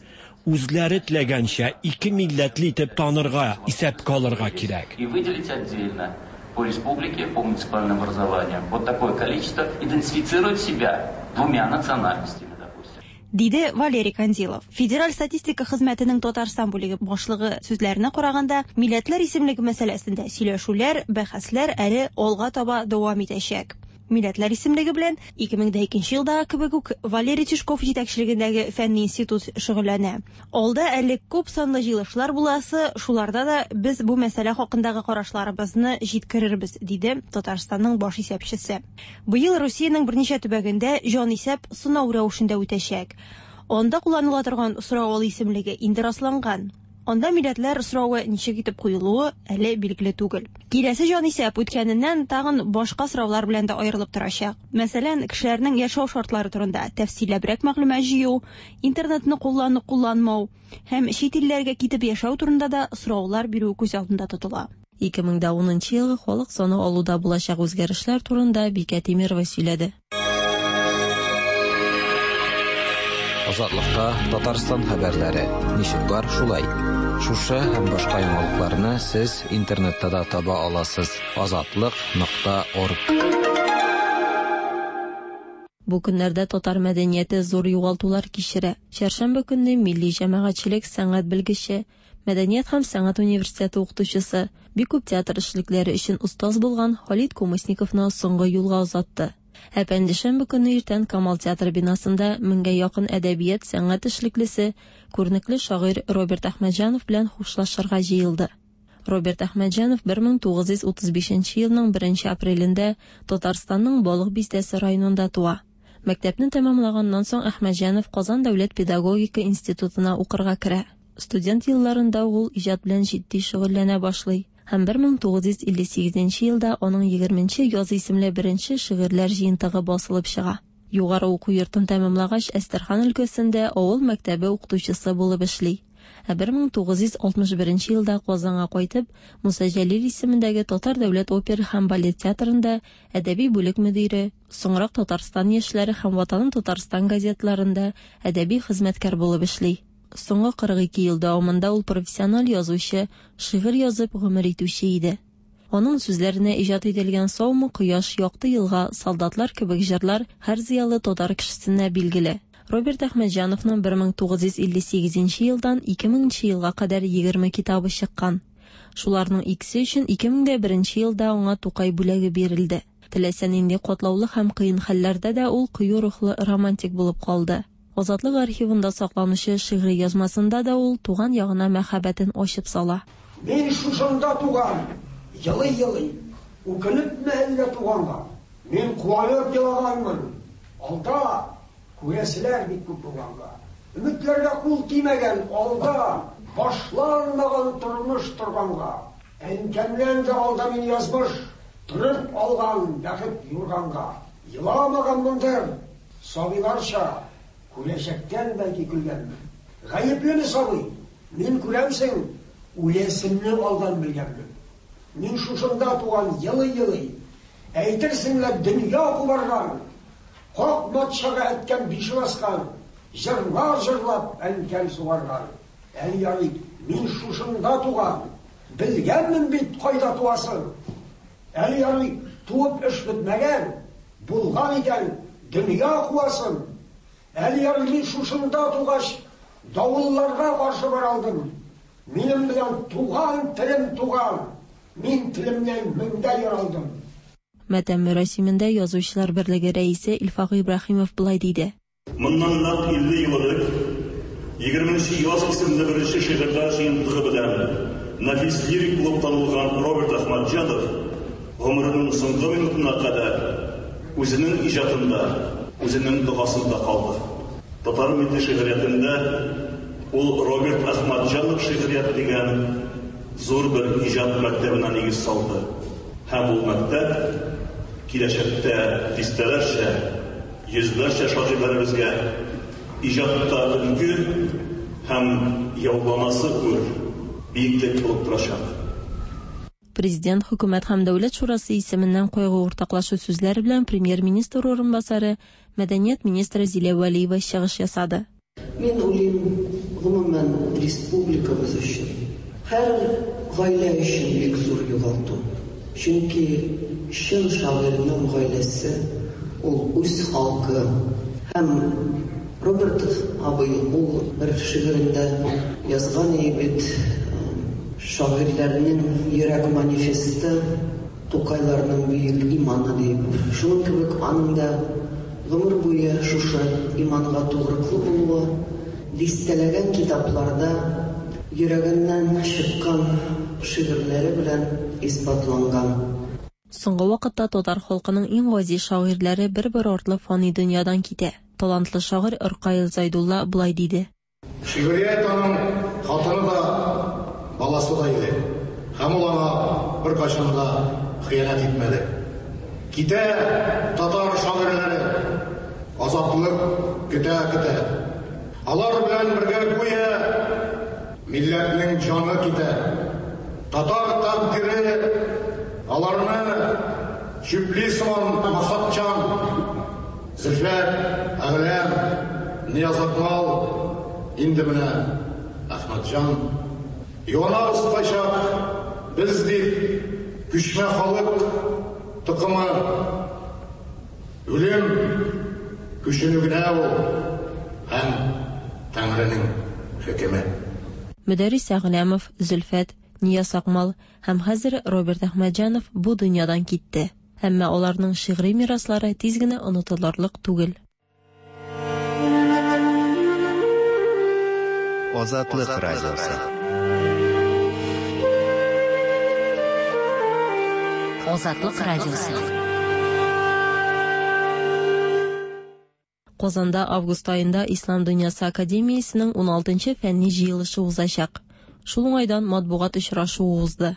үзләре теләгәнчә ике милләтле итеп танырга, исәпкә алырга кирәк. И выделить отдельно по республике, по муниципальным образованиям. Вот такое количество идентифицирует себя двумя национальностями, допустим. Диде Валерий Кандилов. Федераль статистика хезмәтенең Татарстан бүлеге башлыгы сүзләренә караганда, милләтләр исемлеге мәсьәләсендә сөйләшүләр, бәхәсләр әле алга таба дәвам итәчәк. Милләтләр исемлеге белән 2002 елдагы кебек үк Валерий Тишков җитәкчелегендәге фәнни институт шөгыльләнә. Алда әле күп санлы җыелышлар буласы, шуларда да без бу мәсьәлә хакындагы карашларыбызны җиткерербез, диде Татарстанның баш исәпчесе. Быел Русиянең берничә төбәгендә җанисәп сынау рәвешендә үтәчәк. Анда кулланыла торган сорау исемлеге инде расланган. Анда милләтләр соравы ничек итеп куелуы әле билгеле түгел. Киләсе җанисәп үткәненнән тагын башка сораулар белән дә аерылып торачак. Мәсәлән, кешеләрнең яшәү шартлары турында тәфсилләбрәк мәгълүмат җыю, интернетны куллану-кулланмау һәм чит илләргә китеп яшәү турында да сораулар бирү күз алдында тотыла. 2010 нчы елгы халык саны алуда булачак үзгәрешләр турында Бикә Тимерова сөйләде. Азатлыкта Татарстан хәбәрләре ничек бар шулай. Шушы һәм башка яңалыкларны сез интернетта да таба аласыз: азатлык.орг. Бу көннәрдә татар мәдәнияте зур югалтулар кичерә. Чәршәмбе көнне милли җәмәгатьчелек сәнгать белгече, Мәдәният һәм сәнгать университеты укытучысы, бик күп театр эшлекләре өчен остаз булган Халит Кумысниковны соңгы юлга озатты. Ә пәнҗешәмбе көнне иртән Камал театры бинасында меңгә якын әдәбият, сәнгать эшлеклесе, күренекле шагыйрь Роберт Әхмәтҗанов белән хушлашырга җыелды. Роберт Әхмәтҗанов 1935 елның 1 апрелендә Татарстанның Балык Бистәсе районында туа. Мәктәпне тәмамлаганнан соң Әхмәтҗанов Казан дәүләт педагогика институтына укырга керә. Студент елларында ук ул иҗат белән җитди шөгыльләнә башлый һәм 1958 елда аның Егерменче яз исемле беренче шигырьләр җыентыгы басылып чыга. Югары уку йортын тәмамлагач, Әстерхан өлкәсендә авыл мәктәбе укытучысы булып эшли. Ә 1961 елда Казанга кайтып, Муса Җәлил исемендәге Татар дәүләт опера һәм балет театрында әдәби бүлек мөдире, соңрак Татарстан яшьләре һәм Ватаным Татарстан газеталарында әдәби хезмәткәр булып эшли. Соңгы 42 ел дәвамында ул профессиональ язучы, шигырь язып гомер итүче иде. Аның сүзләренә иҗат ителгән Саумы кояш, Якты елга, Солдатлар кебек җырлар һәр зыялы татар кешесенә билгеле. Роберт Әхмәтҗановның 1958 нче елдан 2000 нче елга кадәр 20 китабы чыккан. Шуларның икесе өчен 2001 нче елда аңа Тукай бүләге бирелде. Теләсә нинди катлаулы һәм кыен хәлләрдә дә ул кыю рухлы романтик булып калды. Азатлык архивында сакланучы шигъри язмасында да ул туган ягына мәхәббәтен ачып сала. Мин шушында туган, елый-елый, Үкенепме әллә туганга? Мин куанып елаганмын, Алда күрәселәр бик күп булганга. Өметләргә кул тимәгән, Алда башланмаган тормыш торганга. Әнкәмнән дә алда мине язмыш Төреп алган бәхет юрганга. Еламаганмындыр, Сабыйларча, күрәчәктән бәлки көлгәнмен. Гаеплеме сабый? Мин, күрәмсең, үләсемне алдан белгәнмен. Мин шушында туган елый-елый, әйтерсең лә дөнья кубарган, Как матчага әткәм бишек аскан, җырлар җырлап әнкәм сугарган. Әле ярый, мин шушында туган, белгәнмен бит кайда туасын. Әле ярый, туып эш бетмәгән, Булган икән, дөнья куасым! Әле ярый мин шушында тугач, давылларга каршы бара алдым. Минем белән туган телем туган, мин телемнән меңдә яралдым. Матәм мөрәсимендә Язучылар берлеге рәисе Илфак Ибраһимов болай диде. Моннан нәкъ 50 ел элек, Егерменче яз исемле беренче шигырьләр җыентыгы белән нәфис лирик булып танылган Роберт Әхмәтҗанов гомеренең соңгы минутына кадәр үзенең иҗатында, үзенең догасында калды. Татар милли шигъриятендә ул Роберт Әхмәтҗанов шигърияте дигән зур бер иҗат мәктәбенә нигез салды. Һәм ул мәктәп киләчәктә дистәләрчә, Йөзләрчә шагыйрьләребезгә иҗатта өлге һәм яуланасы үр, биеклек булып торачак. Президент, Хөкүмәт һәм Дәүләт шурасы исеменнән кайгы уртаклашу сүзләре белән Премьер-министр урынбасары, мәдәният министры Зилә Вәлиева чыгыш ясады. Мин уйлыйм, гомумән, республикабыз өчен, һәр гаилә өчен бик зур югалту. Чөнки чын шагыйрьнең гаиләсе, ул үз халкы. Һәм Роберт абый ул бер шигырендә язган ие бит, Шагыйрьләрнең йөрәк манифесты, Тукайларның бөек иманы диеп. Шуның кебек аның да гомер буе шушы иманга тугрыклы булуы, дистәләгән китапларда йөрәгеннән чыккан шигырьләре белән исбатланган. Соңгы вакытта татар халкының иң газиз шагыйрьләре бер-бер артлы фани дөньядан китә. Талантлы шагыйрь Ркаил Зайдулла болай диде. Шигърият аның хатыны да, баласы да иде. Һәм ул аңа беркайчан да хыянәт итмәде. Китә татар шагыйрьләре, азатлык көтә-көтә. Алар белән бергә гүя милләтнең җаны китә. Татар тәкъдире аларны чүпли сыман максатчан. Зөлфәт, Әгъләм, Нияз Акмал, инде менә Әхмәтҗан. Юанабыз кайчак без дип, күчмә халык токымы. Үлем күченү генә ул һәм Тәңренең хөкеме. Мөдәррис Әгъләмов, Зөлфәт, Нияз Акмал һәм хәзер Роберт Әхмәтҗанов бу дөньядан китте. Әмма аларның шигъри мираслары тиз генә онытылырлык түгел. Азатлык радиосы. Азатлык радиосы. Казанда август аенда Ислам дөньясы академиясенең 16-нчы фәнни җыелышы узачак. Шул уңайдан матбугат очрашуы узды.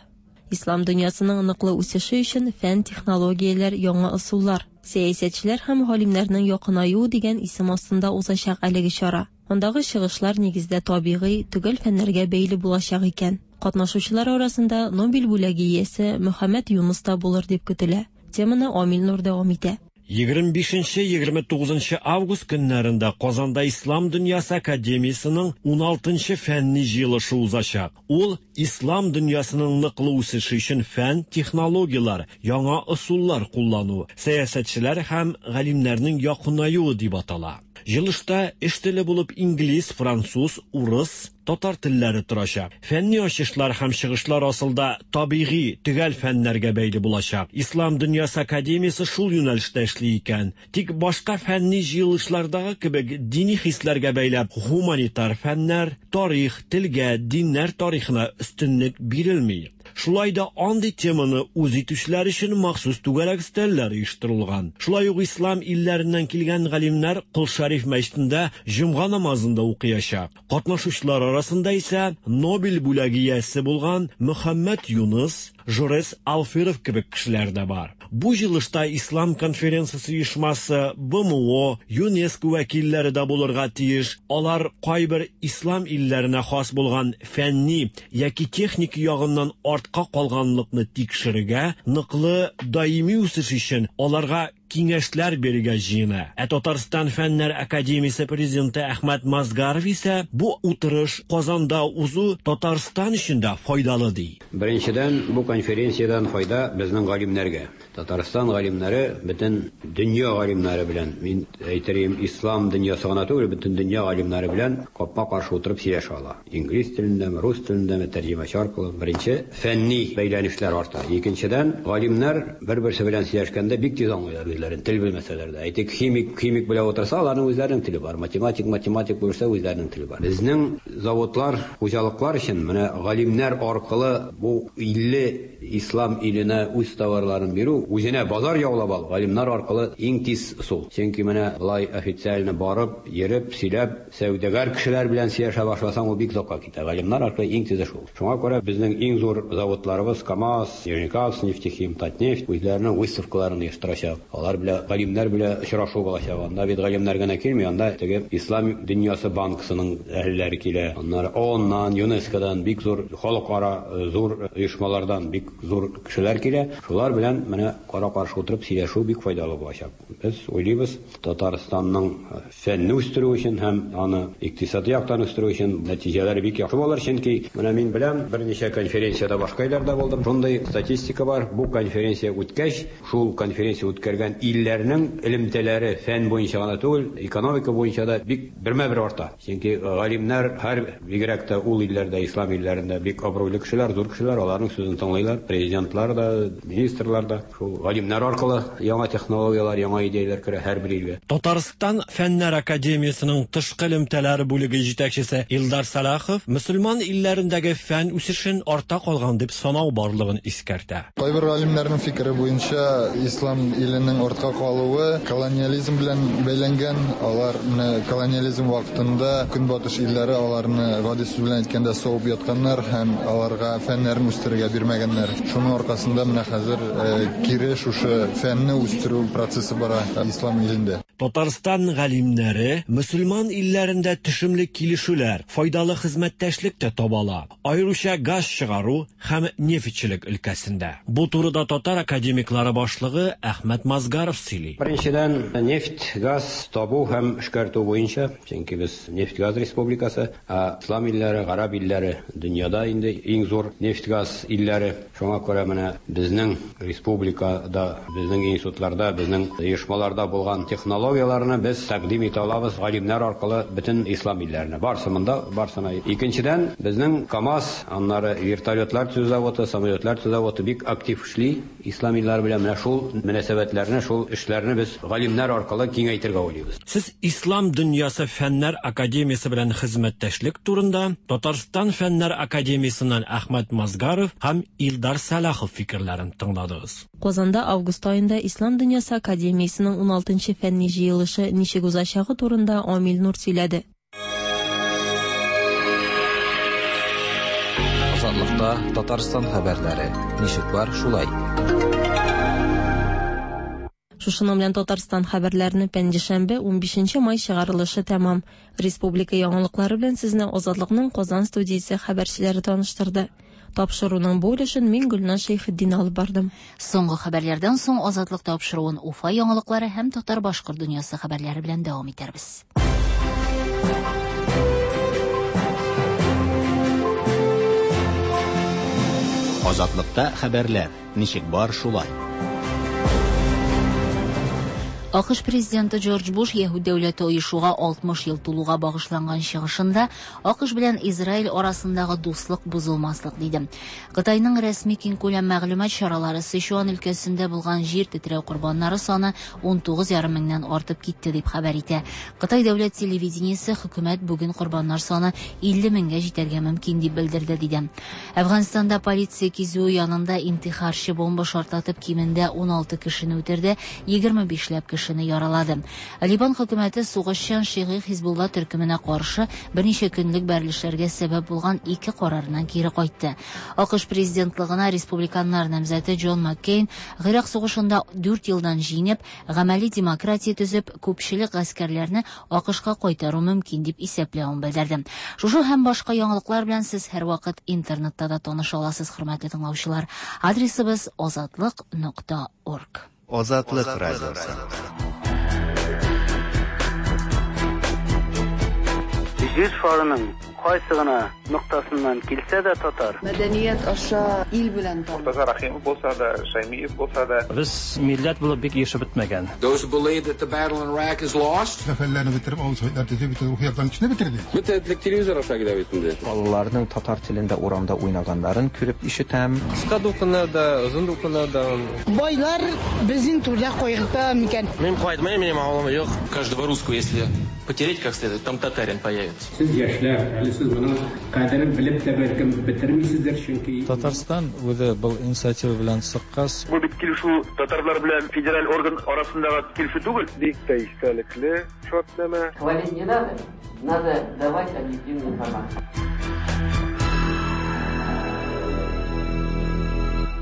Ислам дөньясының ныклы үсеше өчен фән, технологияләр, яңа ысуллар, сәясәтчеләр һәм галимнәрнең якынаюы дигән исем астында узачак әлеге чара. Андагы чыгышлар нигездә табигый, төгәл фәннәргә бәйле булачак икән. Катнашучылар арасында Нобель бүләге иясе Мөхәммәд Юныс та булыр дип көтелә. Теманы Амил Нур дәвам итә. 25-29 август көннәрендә Казанда Ислам дөньясы академиясенең 16-нчы фәнни җыелышы узачак. Ул ислам дөньясының ныклы үсеше өчен фән, технологияләр, яңа ысуллар куллану, сәясәтчеләр һәм галимнәрнең якынаюы дип атала. Җыелышта эш теле булып инглиз, француз, урыс, татар телләре торачак. Фәнни ачышлар һәм чыгышлар асылда табигый, төгәл фәннәргә бәйле булачак. Ислам дөньясы академиясе шул юнәлештә эшли икән. Тик башка фәнни җыелышлардагы кебек дини хисләргә бәйләп гуманитар фәннәр, тарих, телгә, диннәр тарихына өстенлек бирелми. Шулай да андый теманы үз итүчеләр өчен махсус түгәрәк өстәлләр оештырылган. Шулай ук ислам илләреннән килгән галимнәр Кол Шәриф мәчетендә җомга намазын да укыячак. Катнашучылар арасында исә Нобель бүләге иясе булган Мөхәммәд Юныс, Жорес Алферов кебек кешеләр дә бар. Бу җыелышта Ислам конференциясе оешмасы, БМО, ЮНЕСКО вәкилләре дә булырга тиеш. Алар кайбер ислам илләренә хас булган фәнни яки техник ягыннан артка калганлыкны тикшерергә, ныклы даими үсеш өчен аларга киңәшләр бирергә җыена. Ә Татарстан Фәннәр академиясе президенты Әхмәт Мазгаров исә бу утырыш Казанда узу Татарстан өчен дә файдалы ди. Беренчедән, бу конференциядән файда безнең галимнәргә. Татарстан галимнәре бөтен дөнья галимнәре белән, мин әйтер идем, ислам дөньясы гына түгел, бөтен дөнья галимнәре белән капма-каршы утырып сөйләшә ала. Инглиз телендәме, рус телендәме, тәрҗемәче аркылы. Беренче, фәнни бәйләнешләр арта. Икенчедән, галимнәр бер-берсе белән сөйләшкәндә бик тиз аңлыйлар үзләрен, тел белмәсәләр дә. Әйтик, химик химик белән утырса, аларның үзләренең теле бар. Математик математик булса, үзләренең теле бар. Безнең заводлар, хуҗалыклар өчен менә галимнәр аркылы бу 50 ислам иленә үз товарларын бирү, үзенә базар яулап алу, галимнәр аркылы иң тиз ысул. Чөнки менә болай официально барып, йөреп, сөйләп, сәүдәгәр кешеләр белән сөйләшә башласаң, ул бик озакка китә. Галимнәр аркылы иң тизе шул. Шуңа күрә безнең иң зур заводларыбыз КАМАЗ, Нижнекамскнефтехим, Татнефть үзләренең выставкаларын оештырачак. Алар белән, галимнәр белән очрашу булачак. Анда бит галимнәр генә килми, анда теге Ислам дөньясы банкысының әһелләре килә. Аннары ООНнан, ЮНЕСКОдан бик зур халыкара зур оешмалардан бик зур кешеләр килә. Шулар белән менә кара-каршы утырып сөйләшү бик файдалы булачак. Без уйлыйбыз, Татарстанның фәнне үстерү өчен һәм аны икътисади яктан үстерү өчен нәтиҗәләре бик яхшы булыр, чөнки менә мин беләм, берничә конференциядә башка илләрдә булдым, шундый статистика бар, бу конференция үткәч, шул конференция үткәргән илләрнең элемтәләре фән буенча гына түгел, экономика буенча да бик бермә-бер арта. Чөнки галимнәр һәр, бигрәк тә ул илләрдә, ислам илләрендә бик абруйлы кешеләр, зур кешеләр, аларның сүзен тыңлыйлар, президентлар да, министрлар да. Шул галимнәр аркылы яңа технологияләр, яңа идеяләр керә һәрбер илгә. Татарстан Фәннәр академиясенең тышкы элемтәләр бүлеге җитәкчесе Илдар Сәлахов мөселман илләрендәге фән үсешен артта калган дип санау барлыгын искәртә. Кайбер галимнәрнең фикере буенча, ислам иленең артка калуы колониализм белән бәйләнгән. Алар менә колониализм вакытында Көнбатыш илләре аларны гади сүз белән әйткәндә савып ятканнар һәм аларга фәннәрен үстерергә бирмәгәннәр. Шуның аркасында менә хәзер кире шушы фәнне үстерү процессы бара ислам илендә. Татарстан галимнәре мөселман илләрендә төшемле килешүләр, файдалы хезмәттәшлек тә таба ала, аеруча газ чыгару һәм нефтьчелек өлкәсендә. Бу турыда татар академиклары башлыгы Әхмәт Мазгаров сөйли. Беренчедән, нефть, газ табу һәм эшкәртү буенча, чөнки без нефть-газ республикасы, ә ислам илләре, гарәп илләре дөньяда инде иң зур нефть-газ илләре. Шуңа күрә менә безнең республикада, безнең институтларда, безнең оешмаларда булган технологияләрне без тәкъдим итә алабыз галимнәр аркылы бөтен ислам илләренә. Барсы монда, барсына. Икенчедән, безнең КАМАЗ, аннары вертолетлар төзү заводы, самолетлар төзү заводы бик актив эшли ислам илләре белән. Менә шул мөнәсәбәтләрне, шул эшләрне без галимнәр аркылы киңәйтергә уйлыйбыз. Сез Ислам дөньясы фәннәр академиясе белән хезмәттәшлек турында Татарстан Фәннәр академиясеннән Әхмәт Мазгаров һәм Илдар Сәлахов фикерләрен тыңладыгыз. Казанда август аенда Ислам дөньясы академиясенең уналтынчы фәнни җыелышы ничек узачагы турында Амил Нур сөйләде. Азатлыкта Татарстан хәбәрләре. Ничек бар, шулай. Шушының белән Татарстан хәбәрләренең пәнҗешәмбе, 15 май чыгарылышы тәмам. Республика яңалыклары белән сезне Азатлыкның Казан студиясе хәбәрчеләре таныштырды. Тапшыруның бу өлешен мин Гөлназ Шәйхетдин алып бардым. Соңгы хәбәрләрдән соң Азатлык тапшыруын Уфа яңалыклары һәм татар-башкорт дөньясы хәбәрләре белән дәвам итәрбез. Азатлыкта хәбәрләр ничек бар шулай. АКШ президенты Джордж Буш Яһүд дәүләте оешуга 60 ел тулуга багышланган чыгышында АКШ белән Израиль арасындагы дуслык бозылмаслык диде. Кытайның рәсми киңкүләм мәгълүмат чаралары Сычуан өлкәсендә булган җир тетрәү корбаннары саны 19,5 меңнән артып китте дип хәбәр итә. Кытай дәүләт телевидениесе хөкүмәт бүген корбаннар саны 50 меңгә җитәргә мөмкин дип белдерде, диде. Әфганстанда полиция кизүе янында интихарчы бомба шартлатып кимендә 16 кешене үтерде, 25 ләп кешене яралады. Либан хөкүмәте сугышчан шигый Хизбулла төркеменә каршы берничә көнлек бәрелешләргә сәбәп булган ике карарыннан кире кайтты. АКШ президентлыгына республиканнар намзәте Джон Маккейн Гыйрак сугышында 4 елдан җиңеп, гамәли демократия төзеп, күпчелек гаскәрләрне АКШка кайтару мөмкин дип исәпләвен белдерде. Шушы һәм башка яңалыклар белән сез һәрвакыт интернетта да таныша аласыз, хөрмәтле тыңлаучылар. Адресыбыз азатлык.орг. Азатлык радиосы. Җир шарының кайсы гына ноктасыннан килсә дә татар. Мәдәният аша ил белән таныш. Мортаза Рәхимов булса да, Шәймиев булса да. Без милләт булып бик ирешеп бетмәгән. Those who believe that the battle in Iraq is lost. Сәфәрләрне бетереп, авыл советлар төзеп, бөтен рухи яктан көчне бетерде. Бөтен этлек телевизор аша килә бит инде. Балаларның татар телендә урамда уйнаганнарын күреп ишетәм. Кыска дулкыннар да, озын дулкыннар да. Байлар безнең турыда кайгырта микән? Мин кайтмыйм, минем авылым юк. Каждого русского, если потереть как следует, там татарин появится. Сез яшьләр, әле сез моның кадерен белеп тә бәлкем бетермисездер, чөнки Татарстан үзе был инициатива белән чыккач, Бу бит килешү татарлар белән федераль орган арасындагы килешү түгел. Бик тә истәлекле шартнамә. Хвалить не надо, надо давать объективную информацию.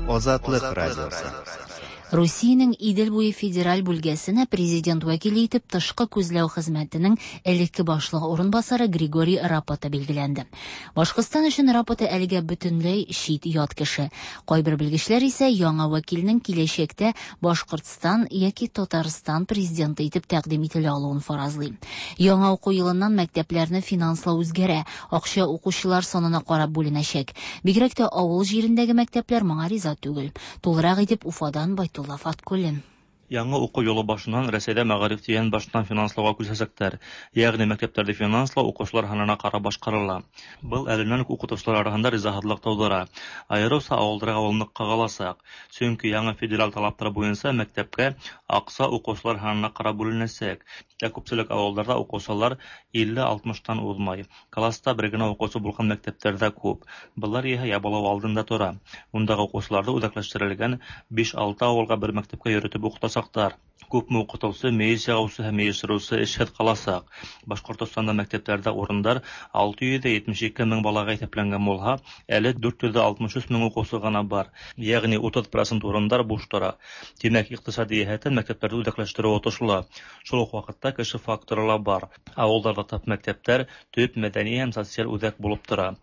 Азатлык радиосы. Русиянең Идел буе федераль бүлгәсенә президент вәкиле итеп тышкы күзләү хезмәтенең элекке башлыгы урынбасары Григорий Рапота билгеләнде. Башкортстан өчен Рапота әлегә бөтенләй чит ят кеше. Кайбер белгечләр исә яңа вәкилнең киләчәктә Башкортстан яки Татарстан президенты итеп тәкъдим ителә алуын фаразлый. Яңа уку елыннан мәктәпләрне финанслау үзгәрә, акча укучылар санына карап бүленәчәк. Бигрәк тә авыл җирендәге мәктәпләр моңа риза түгел. Тулырак итеп Уфадан Байтулла Фаткуллин. Яңа уку елы башыннан Рәсәйдә мәгариф дигән баштан финанслауга күчәчәкләр. Ягъни мәктәпләрдә финанслау укучылар һанына карап башкарыла. Был әленнән үк укытучылар арасында ризаһытлык тудыра. Аеруча авылдагы ул нык кагылачак. Чөнки яңа федераль талаплар буенча мәктәпкә акча укучылар һанына карап бүленәчәк. Ә күпчелек авылларда укучылар 50-60тан узмай. Класста бер генә укучы булган мәктәпләр дә күп. Болар иһә ябылу алдында тора. Ундагы укучыларны үзәкләштерелгән 5-6 авылга бер мәктәпкә йөртеп укытачаклар. Күпме укытыусы, мейес яғыусы һәм йыйыштырыусы эшһеҙ ҡаласаҡ. Башҡортостанда мәктәптәрҙә урындар 672 мең балаға иҫәпләнгән булһа, әле 463 мең уҡыусы ғына бар. Йәғни 30% урындар буш тора. Тимәк, иҡтисади йәһәттән мәктәптәрҙе үҙәкләштереү отошло. Шул уҡ ваҡытта кеше факторы ла бар. Ауылдарҙа тап мәктәптәр төп мәҙәни һәм социаль үҙәк булып тора.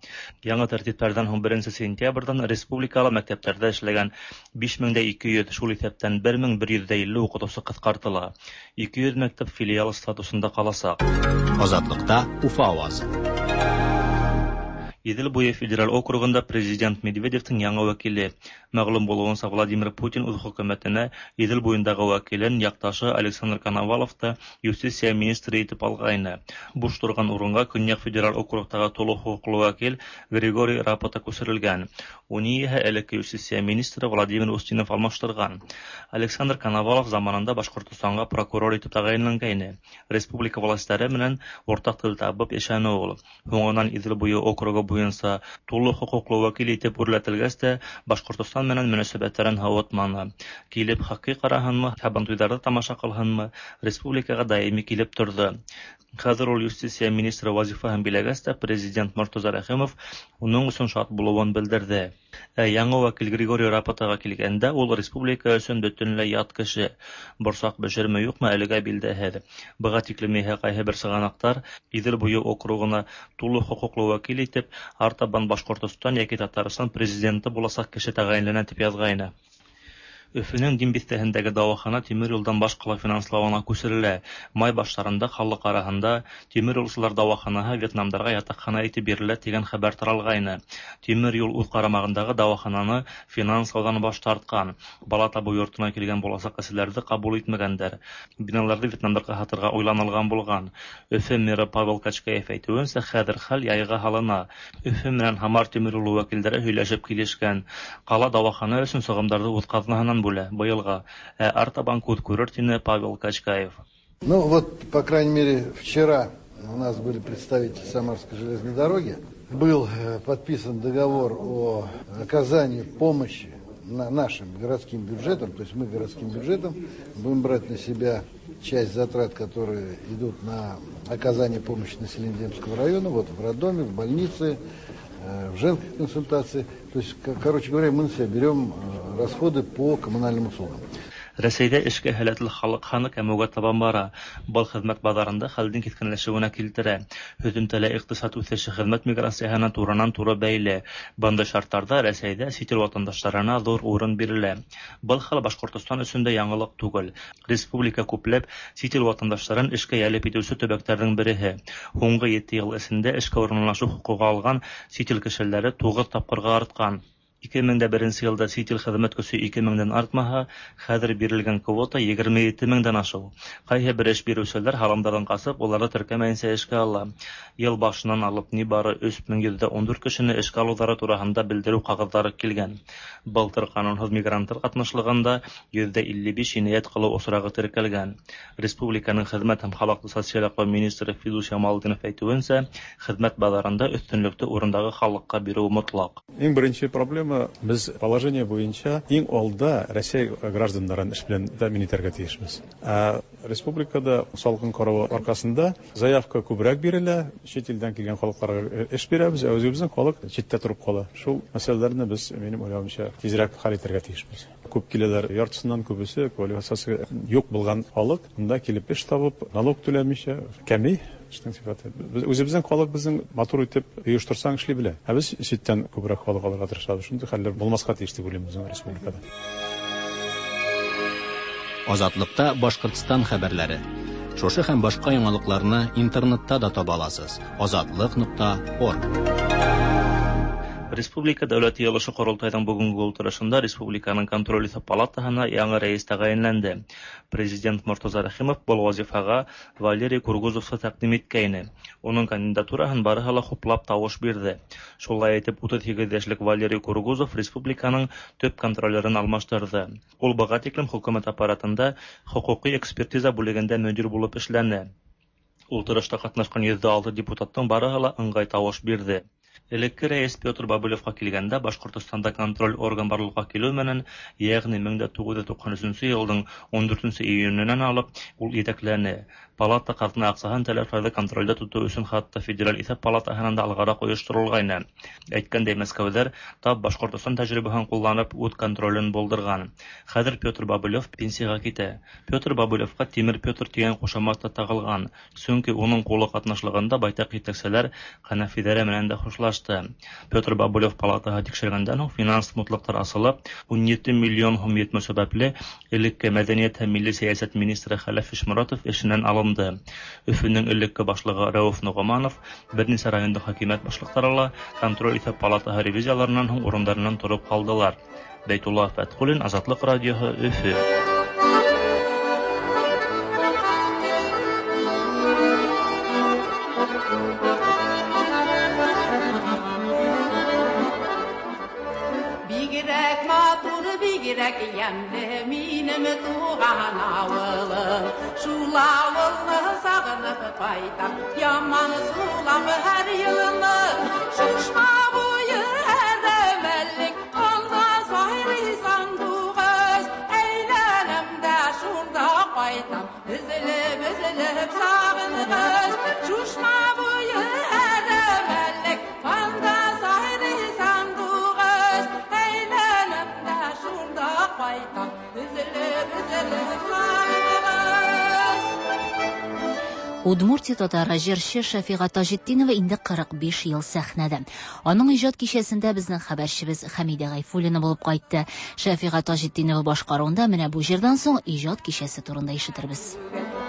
Яңы тәртиптәрҙән һуң 1 сентябрҙән республикала мәктәптәрҙә эшләгән 5200, шул иҫәптән 1150 уҡытыусы ҡыҫҡартыла. 200 мәктәп филиал статусында ҡаласаҡ. Азатлыкта Уфа авазы. Иҙел буйы федераль округында президент Медведевтең яңы вәкиле. Мәғлүм булыуынса, Владимир Путин үҙ хөкүмәтенә Иҙел буйындағы вәкилен яҡташы Александр Коноваловты юстиция министры итеп алғайны. Буш торған урынға Көньяҡ федераль округтағы тулы хоҡуҡлы вәкил Григорий Рапота күсерелгән. Уны иһә элекке юстиция министры Владимир Устинов алмаштырған. Александр Коновалов заманында Башҡортостанға прокурор итеп тәғәйенләнгәйне. Республика властары менән уртаҡ тел табып йәшәне ул. Һуңынан Иҙел буйы округы буйынса тулы хоҡуҡлы вәкил итеп үрләтелгәс тә Башҡортостан менән мөнәсәбәттәрен һыуытманы. Килеп хоккей ҡараһынмы, һабантуйҙарҙы тамаша ҡылһынмы, республикаға даими килеп торҙо. Хәҙер ул юстиция министры вазифаһын биләгәс тә президент Мортаза Рәхимов уның өсөн шат булыуын белдерҙе. Ә яңы вәкил Григорий Рапотаға килгәндә, ул республика өсөн бөтөнләй ят кеше. Борсаҡ бешерме юҡмы, әлегә билдәһеҙ. Быға тиклем иһә ҡайһы бер сығанаҡтар Иҙел буйы округына тулы хоҡуҡлы вәкил итеп артабан Башҡортостан йәки Татарстан президенты буласаҡ кеше тәғәйенләнә тип яҙғайны. Өфөнөң Дим биҫтәһендәге дауахана тимер юлдан баш ҡала финанслауына күсерелә. Май баштарында халыҡ араһында тимер юлсылар дауаханаһы вьетнамдарға ятаҡхана итеп бирелә тигән хәбәр таралғайны. Тимер юл үҙ ҡарамағындағы дауахананы финанслауҙан баш тартҡан. Бала табыу йортона килгән буласаҡ әсәләрҙе ҡабул итмәгәндәр. Биналарҙы вьетнамдарға һатырға уйланылған булған. Өфө мэры Павел Качкаев әйтеүенсә, хәҙер хәл яйға һалына. Өфө менән Һамар тимер юлы вәкилдәре һөйләшеп килешкән. Ҡала дауахана өсөн сығымдарҙы үҙ ҡаҙнаһынан бүлә быйылға, ә артабан күҙ күрер, тине Павел Качкаев. Ну вот, по крайней мере, вчера у нас были представители Самарской железной дороги. Был подписан договор о оказании помощи нашим городским бюджетом, то есть мы городским бюджетом будем брать на себя часть затрат, которые идут на оказание помощи населению Демского района, вот в роддоме, в больнице, в женской консультации. То есть, короче говоря, мы на себя берем расходы по коммунальным услугам. Рәсәйҙә эшкә һәләтле халыҡ һаны кәмеүгә табан бара. Был хеҙмәт баҙарында хәлдең киҫкенләшеүенә килтерә. Һөҙөмтәлә иҡтисад үҫеше хеҙмәт миграцияһына туранан-тура бәйле. Бындай шарттарҙа Рәсәйҙә сит ил ватандаштарына ҙур урын бирелә. Был хәл Башҡортостан өсөн дә яңылыҡ түгел. Республика күпләп сит ил ватандаштарын эшкә йәлеп итеүсе төбәктәрҙең береһе. Һуңғы 7 йыл эсендә эшкә урынлашыу хоҡуғы алған сит ил кешеләре 9 тапҡырға артҡан. 2001 йылда сит ил хеҙмәт көсө 2 меңдән артмаһа, хәҙер бирелгән квота 27 меңдән ашыу. Ҡайһы бер эш биреүселәр һаламдарҙан ҡасып, уларҙы теркәмәйенсә эшкә ала. Йыл башынан алып ни бары 3114 кешене эшкә алыуҙары тураһында белдереү ҡағыҙҙары килгән. Былтыр ҡанунһыҙ мигранттар ҡатнашлығында 55 енәйәт ҡылыу осрағы теркәлгән. Республиканың хеҙмәт һәм халыҡты социаль яҡлау министры Фидус Ямалдинов әйтеүенсә, хеҙмәт баҙарында өҫтөнлөктө урындағы халыҡҡа биреү мотлаҡ. Иң беренсе проблема Беҙ положение буйынса иң алда Рәсәй граждандарын эш белән тәьмин итәргә тейешбеҙ. Ә республикада салҡын ҡарауы арҡаһында заявка күберәк бирелә, сит илдән килгән халыҡларға эш бирәбеҙ, ә үҙебеҙҙең халыҡ ситтә тороп ҡала. Шул мәсьәләләрне беҙ, минең уйлауымса, тиҙерәк хәл итәргә тейешбеҙ. Күп киләләр, яртысынан күбесе квалификациясы юҡ булған халыҡ бында килеп эш табып, налог түләмичә кәмей эштең сифаты. Беҙ үҙебеҙҙең халыҡ беҙҙең матур итеп ойошторсаң эшли белә. Ә беҙ ситтән күберәк халыҡ алырға тырышабыҙ. Шундай хәлләр булмаҫҡа тейеш тип уйлайым беҙҙең республикада. Азатлыкта Башҡортостан хәбәрләре. Шушы һәм башҡа яңалыҡларны интернетта да таба аласыз. Азатлык.орг. Республика Дәүләт Йыйылышы Ҡоролтайҙың бөгөнгө ултырышында Республиканың контроль иҫәп палатаһына яңы рәйес тәғәйенләнде. Президент Мортаза Рәхимов был вазифаға Валерий Кургузовты тәҡдим иткәйне. Уның кандидатураһын барыһы ла хуплап тауыш бирҙе. Шулай итеп, 38 йәшлек Валерий Кургузов республиканың төп контролерын алмаштырҙы. Ул быға тиклем хөкүмәт аппаратында хоҡуҡи экспертиза бүлегендә мөдир булып эшләне. Ултырышта ҡатнашҡан 106 депутаттың барыһы ла ыңғай тауыш бирҙе. Элекке рәис Петр Бобылевка килгәндә, Башкортостанда контроль орган барлыкка килү менән, ягъни 1993 елның 14 июненнән алып, ул җитәкләнә. Палата казна акчасын таләпләрдә контрольдә тоту өчен хәтта Федераль исәп палатаһынан да алгарак оештырылгайны. Әйткәндәй, Мәскәүдә тап Башкортостан тәҗрибәһен кулланып, үт контролен булдырган. Хәзер Петр Бобылев пенсиягә китә. Петр Бобылевка Тимер Петр дигән кушамат та тагылган, чөнки уның кулы катнашлыгында байтак җитәкчеләр Хәнәфиләре менән дә хушлашты. Петр Бобылев палатаһы тикшергәндән һуң финанс мутлыктар асылып, 17 миллион һум йетмәү сәбәпле, элекке мәдәният һәм милли сәясәт министры Хәләф Ишморатов эшеннән алынды. Өфөнең элекке башлыгы Рәүф Ногоманов, берничә районда хакимият башлыклары ла контроль исәп палатаһы ревизияларыннан һуң урындарыннан торып калдылар. Бәйтулла Фәтхуллин, Азатлык радиоһы, Өфө. Бигрәк матур, бигрәк ямьле минем туган авылым. Шул авылны сагынып кайтам, яман сулап һәр елны. Шушма буе әрәмәлек, анда сайрый сандугач. Әйләнәм дә шунда кайтам, өзелеп, өзелеп сагынгач. Шушма буе әрәмәлек, анда сайрый сандугач. Әйләнәм дә шунда кайтам, өзелеп, өзелеп сагынгач. Удмуртия татары җырчы Шәфига Таҗетдинова инде 45 ел сәхнәдә. Аның иҗат кичәсендә безнең хәбәрчебез Хәмидә Гайфуллина булып кайтты. Шәфига Таҗетдинова башкаруында менә бу җырдан соң иҗат кичәсе турында ишетербез.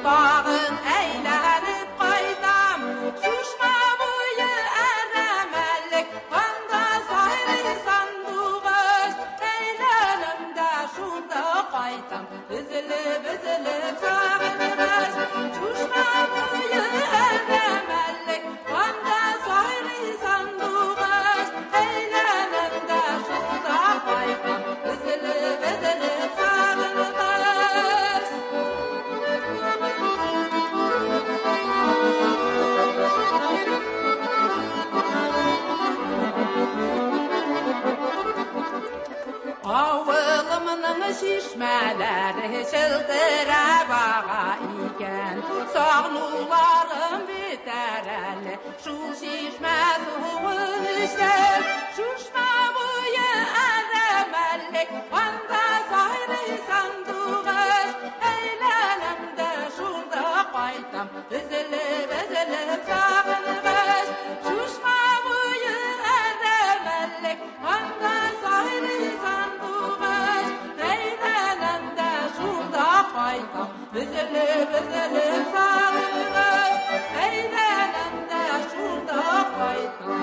Тагын әйләнеп кайтам, Шушма буе әрәмәлек, анда сайрый сандугач. Әйләнәм дә шунда кайтам, өзелеп, өзелеп сагынгач. Шушма буе әрәмәлек, анда сайрый сандугач. Әйләнәм дә шунда кайтам, өзелеп, өзелеп сагынгач. Авылымның чишмәләре челтерәп ага икән, сагынуларым бетәр әле шул чишмә суын эчсәм. Шушма буе әрәмәлек, анда сайрый сандугач. Әйләнәм дә шунда кайтам, өзелеп, өзелеп сагынгач. Шушма буе әрәмәлек, анда сайрый сандугач. Әйләнәм дә шунда кайтам, өзелеп, өзелеп сагынгач. Әйләнәм дә шунда кайтам,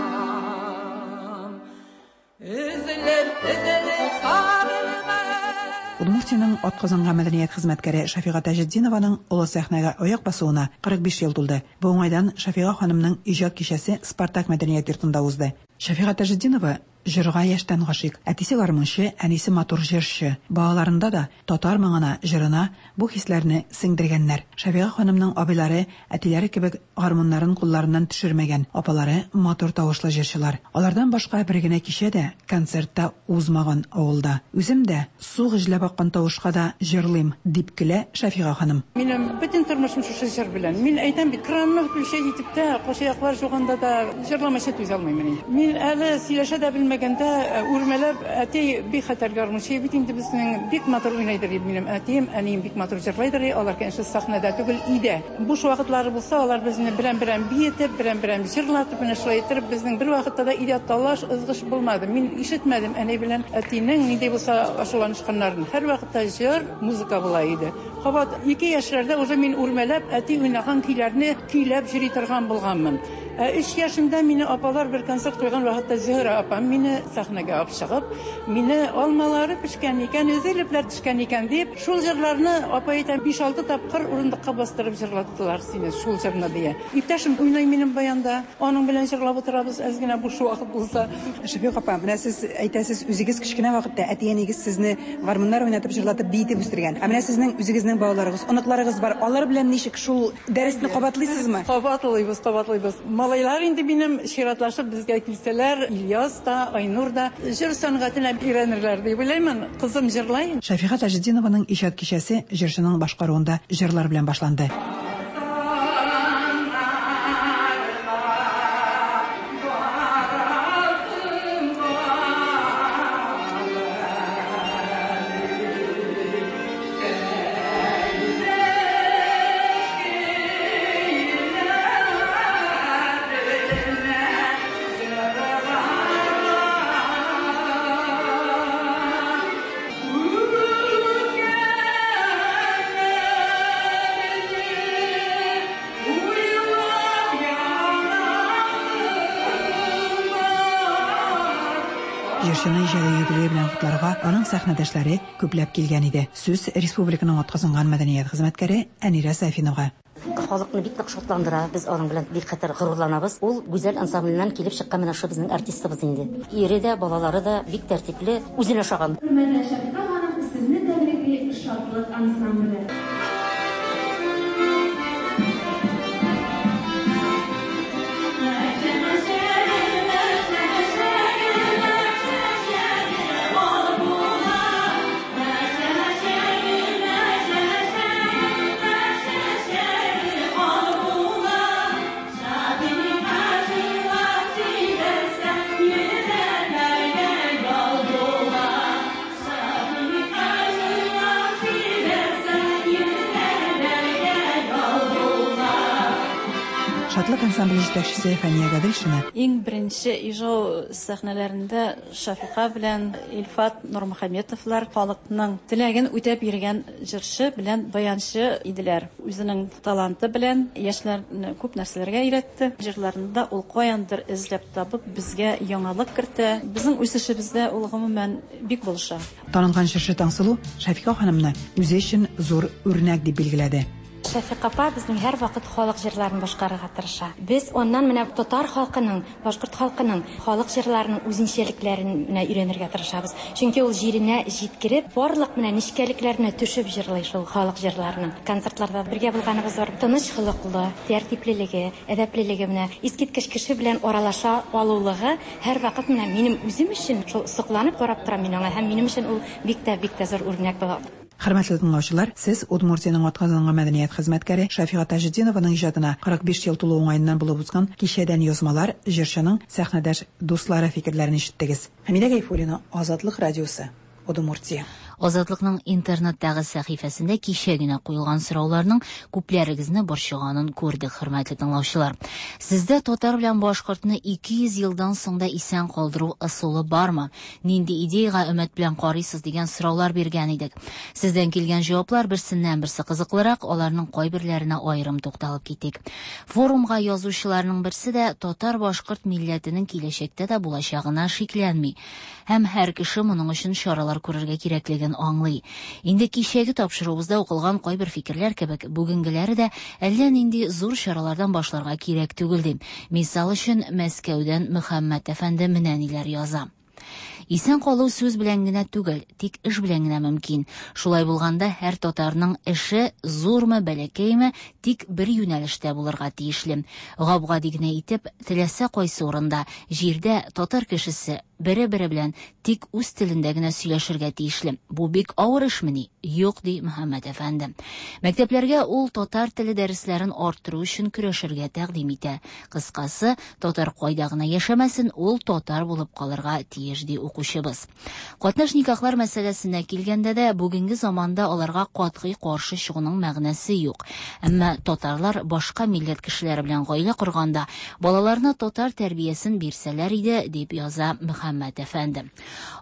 өзелеп, өзелеп сагынгач. Удмуртиянең атказанган мәдәният хезмәткәре Шәфига Таҗетдинованың олы сәхнәгә аяк басуына 45 ел тулды. Бу уңайдан Шәфига ханымның иҗат кичәсе Спартак мәдәният йортында узды. Шәфига Таҗетдинова җырга яшьтән гашыйк. Әтисе гармунчы, әнисе матур җырчы. Балаларында да татар моңына, җырына бу хисләрне сеңдергәннәр. Шәфига ханымның абыйлары әтиләре кебек гармуннарын кулларыннан төшермәгән. Апалары матур тавышлы җырчылар. Алардан башка бер генә кичә дә, концерт та узмаган авылда. Үзем дә су гөжләп аккан тавышка да җырлыйм, дип көлә Шәфига ханым. Минем бөтен тормышым шушы җыр белән. Мин әйтәм бит, кранны включать итеп тә, кошаяклар жуганда да җырламыйча түзә алмыйм мин. Мин әле сөйләшә дә белмәгәндә, үрмәләп, әти бик хәтәр гармунчы бит инде безнең, бик матур уйнайдыр минем әтием, әнием бик матур җырлайдыр, алар, конечно, сәхнәдә түгел, өйдә. Буш вакытлары булса, алар безне берәм-берәм биетеп, берәм-берәм җырлатып, менә шулай иттереп, безнең бер вакытта да өйдә талаш, ызгыш булмады. Мин ишетмәдем әни белән әтинең нинди булса ачуланышканнарын. Һәр вакытта җыр, музыка була иде. Кабат 2 яшьләрдә уже мин үрмәләп, әти уйнаган көйләрне көйләп йөри торган булганмын. 3 яшемдә мине апалар бер концерт куйган вакытта Зөһрә апам мине сәхнәгә алып чыгып, мине алмалары пешкән икән, өзелепләр төшкән икән дип, шул җырларны апа әйтә, 5-6 тапкыр урындыкка бастырып җырлаттылар сине шул җырны дия. Иптәшем уйный минем баянда, аның белән җырлап утырабыз, әз генә буш вакыт булса. Шәфикъ апа, менә сез әйтәсез, үзегез кечкенә вакытта әти-әнигез сезне гармуннар уйнатып, җырлатып, биетеп үстергән. Ә менә сезнең үзегезнең Сезнең балаларыгыз, оныкларыгыз бар. Алар белән ничек шул дәресне кабатлыйсызмы? Кабатлыйбыз, кабатлыйбыз. Малайлар инде минем чиратлашып безгә килсәләр, Ильяс та, Айнур да җыр сәнгатенә өйрәнерләр дип уйлыймын. Кызым җырлай. Шәфига Таҗетдинованың иҗат кичәсе җырчының башкаруында җырлар белән башланды. Җырчыны иҗади юбилее белән котларга аның сәхнәдәшләре күпләп килгән иде. Сүз республиканың атказанган мәдәният хезмәткәре Әнирә Сафинага. Халыкны бик нык шатландыра, без аның белән бик хәтәр горурланабыз. Ул Гүзәл ансамбленнән килеп чыккан менә шушы безнең артистыбыз инде. Ире дә, балалары да бик тәртипле, үзенә ошаган. Хөрмәтле Шәфыйка ханым, сезне тәбрикли Шатлык ансамбле. Шатлык ансамбле җитәкчесе Фәния Гаделшина. Иң беренче Ижау сәхнәләрендә Шафика белән Илфат Нурмөхәммәтовлар халыкның теләген үтәп йөргән җырчы белән баянчы иделәр. Үзенең таланты белән яшьләрне күп нәрсәләргә өйрәтте. Җырларында ул каяндыр эзләп табып безгә яңалык кертә. Безнең үсешебездә ул гомумән бик булыша. Танылган җырчы Таңсылу Шәфика ханымны үзе өчен зур үрнәк дип билгеләде. Шәфика апа безнең һәрвакыт халык җырларын башкарырга тырыша. Без аннан менә татар халкының, башкорт халкының халык җырларының үзенчәлекләрен менә өйрәнергә тырышабыз. Чөнки ул җиренә җиткереп, барлык менә нечкәлекләренә төшеп җырлый шул халык җырларының. Концертларда бергә булганыбыз бар. Тыныч холыклы, тәртиплелеге, әдәплелеге менә искиткеч кеше белән аралаша алулыгы һәрвакыт менә минем үзем өчен шул сокланып карап торам мин аңа һәм минем өчен ул бик тә, бик тә зур үрнәк була. Хөрмәтле тыңлаучылар, сез Удмуртиянең атказанган мәдәният хезмәткәре Шәфига Таҗетдинованың иҗатына 45 ел тулу уңаеннан булып узган кичәдән язмалар, җырчының сәхнәдәш дуслары фикерләрен ишеттегез. Хәмидә Гайфуллина, Азатлык радиосы, Удмуртия. Азатлыкның интернеттагы сәхифәсендә кичә генә куелган сорауларның күпләрегезне борчыганын күрдек, хөрмәтле тыңлаучылар. Сездә татар белән башкортны 200 елдан соң да исән калдыру ысулы бармы? Нинди идеяга өмет белән карыйсыз дигән сораулар биргән идек. Сездән килгән җаваплар берсеннән-берсе кызыклырак, аларның кайберләренә аерым тукталып китик. Форумга язучыларның берсе дә татар-башкорт милләтенең киләчәктә дә булачагына шикләнми. Һәм һәр кеше моның өчен чаралар күрергә кирәклеген аңлый. Инде кичәге тапшыруыбызда укылган кайбер фикерләр кебек, бүгенгеләре дә әллә нинди зур чаралардан башларга кирәк түгел ди. Мисал өчен, Мәскәүдән Мөхәммәт әфәнде менә ниләр яза. Исән калу сүз белән генә түгел, тик эш белән генә мөмкин. Шулай булганда һәр татарның эше, зурмы, бәләкәйме, тик бер юнәлештә булырга тиешле. Гап-гади генә итеп, теләсә кайсы урында, җирдә татар кешесе бере-бере белән тик үз телендә генә сөйләшергә тиешле. Бу бик авыр эшмени? Юк, ди Мөхәммәт әфәнде. Мәктәпләргә ул татар теле дәресләрен арттыру өчен көрәшергә тәкъдим итә. Кыскасы, татар кайда гына яшәмәсен, ул татар булып калырга тиеш, ди укучыбыз. Катнаш никахлар мәсьәләсенә килгәндә дә, бүгенге заманда аларга катгый каршы чыгуның мәгънәсе юк. Әмма татарлар башка милләт кешеләре белән гаилә корганда, балаларына татар тәрбиясен бирсәләр иде, дип яза Мөхәммәт әфәнде.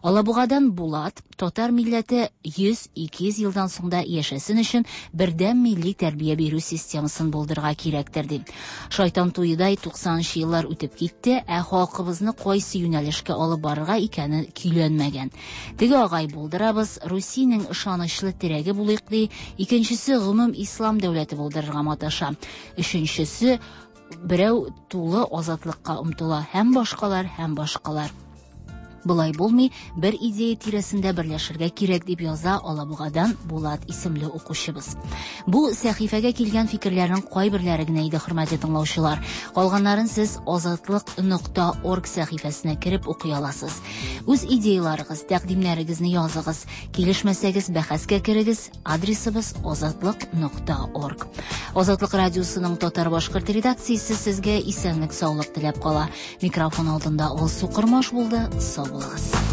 Алабугадан Булат, татар милләте 100-200 елдан соң да яшәсен өчен бердәм милли тәрбия бирү системасын булдырырга кирәктер, ди. Шайтан туедай 90 нчы еллар үтеп китте, ә халкыбызны кайсы юнәлешкә алып барырга икәне көйләнмәгән. Теге агай булдырабыз, Русиянең ышанычлы терәге булыйк, ди, икенчесе гомум ислам дәүләте булдырырга маташа, өченчесе берәү тулы азатлыкка омтыла һәм башкалар, һәм башкалар. Болай булмый, бер идея тирәсендә берләшергә кирәк, дип яза Алабугадан Булат исемле укучыбыз. Бу сәхифәгә килгән фикерләрнең кайберләре генә иде, хөрмәтле тыңлаучылар. Калганнарын сез азатлык.орг сәхифәсенә кереп укый аласыз. Үз идеяларыгыз, тәкъдимнәрегезне языгыз. Килешмәсәгез, бәхәскә керегез. Адресыбыз азатлык.орг. Азатлык радиосының татар-башкорт редакциясе сезгә исәнлек-саулык теләп кала. Микрофон алдында Алсу Кормаш булды. Сау булыгыз.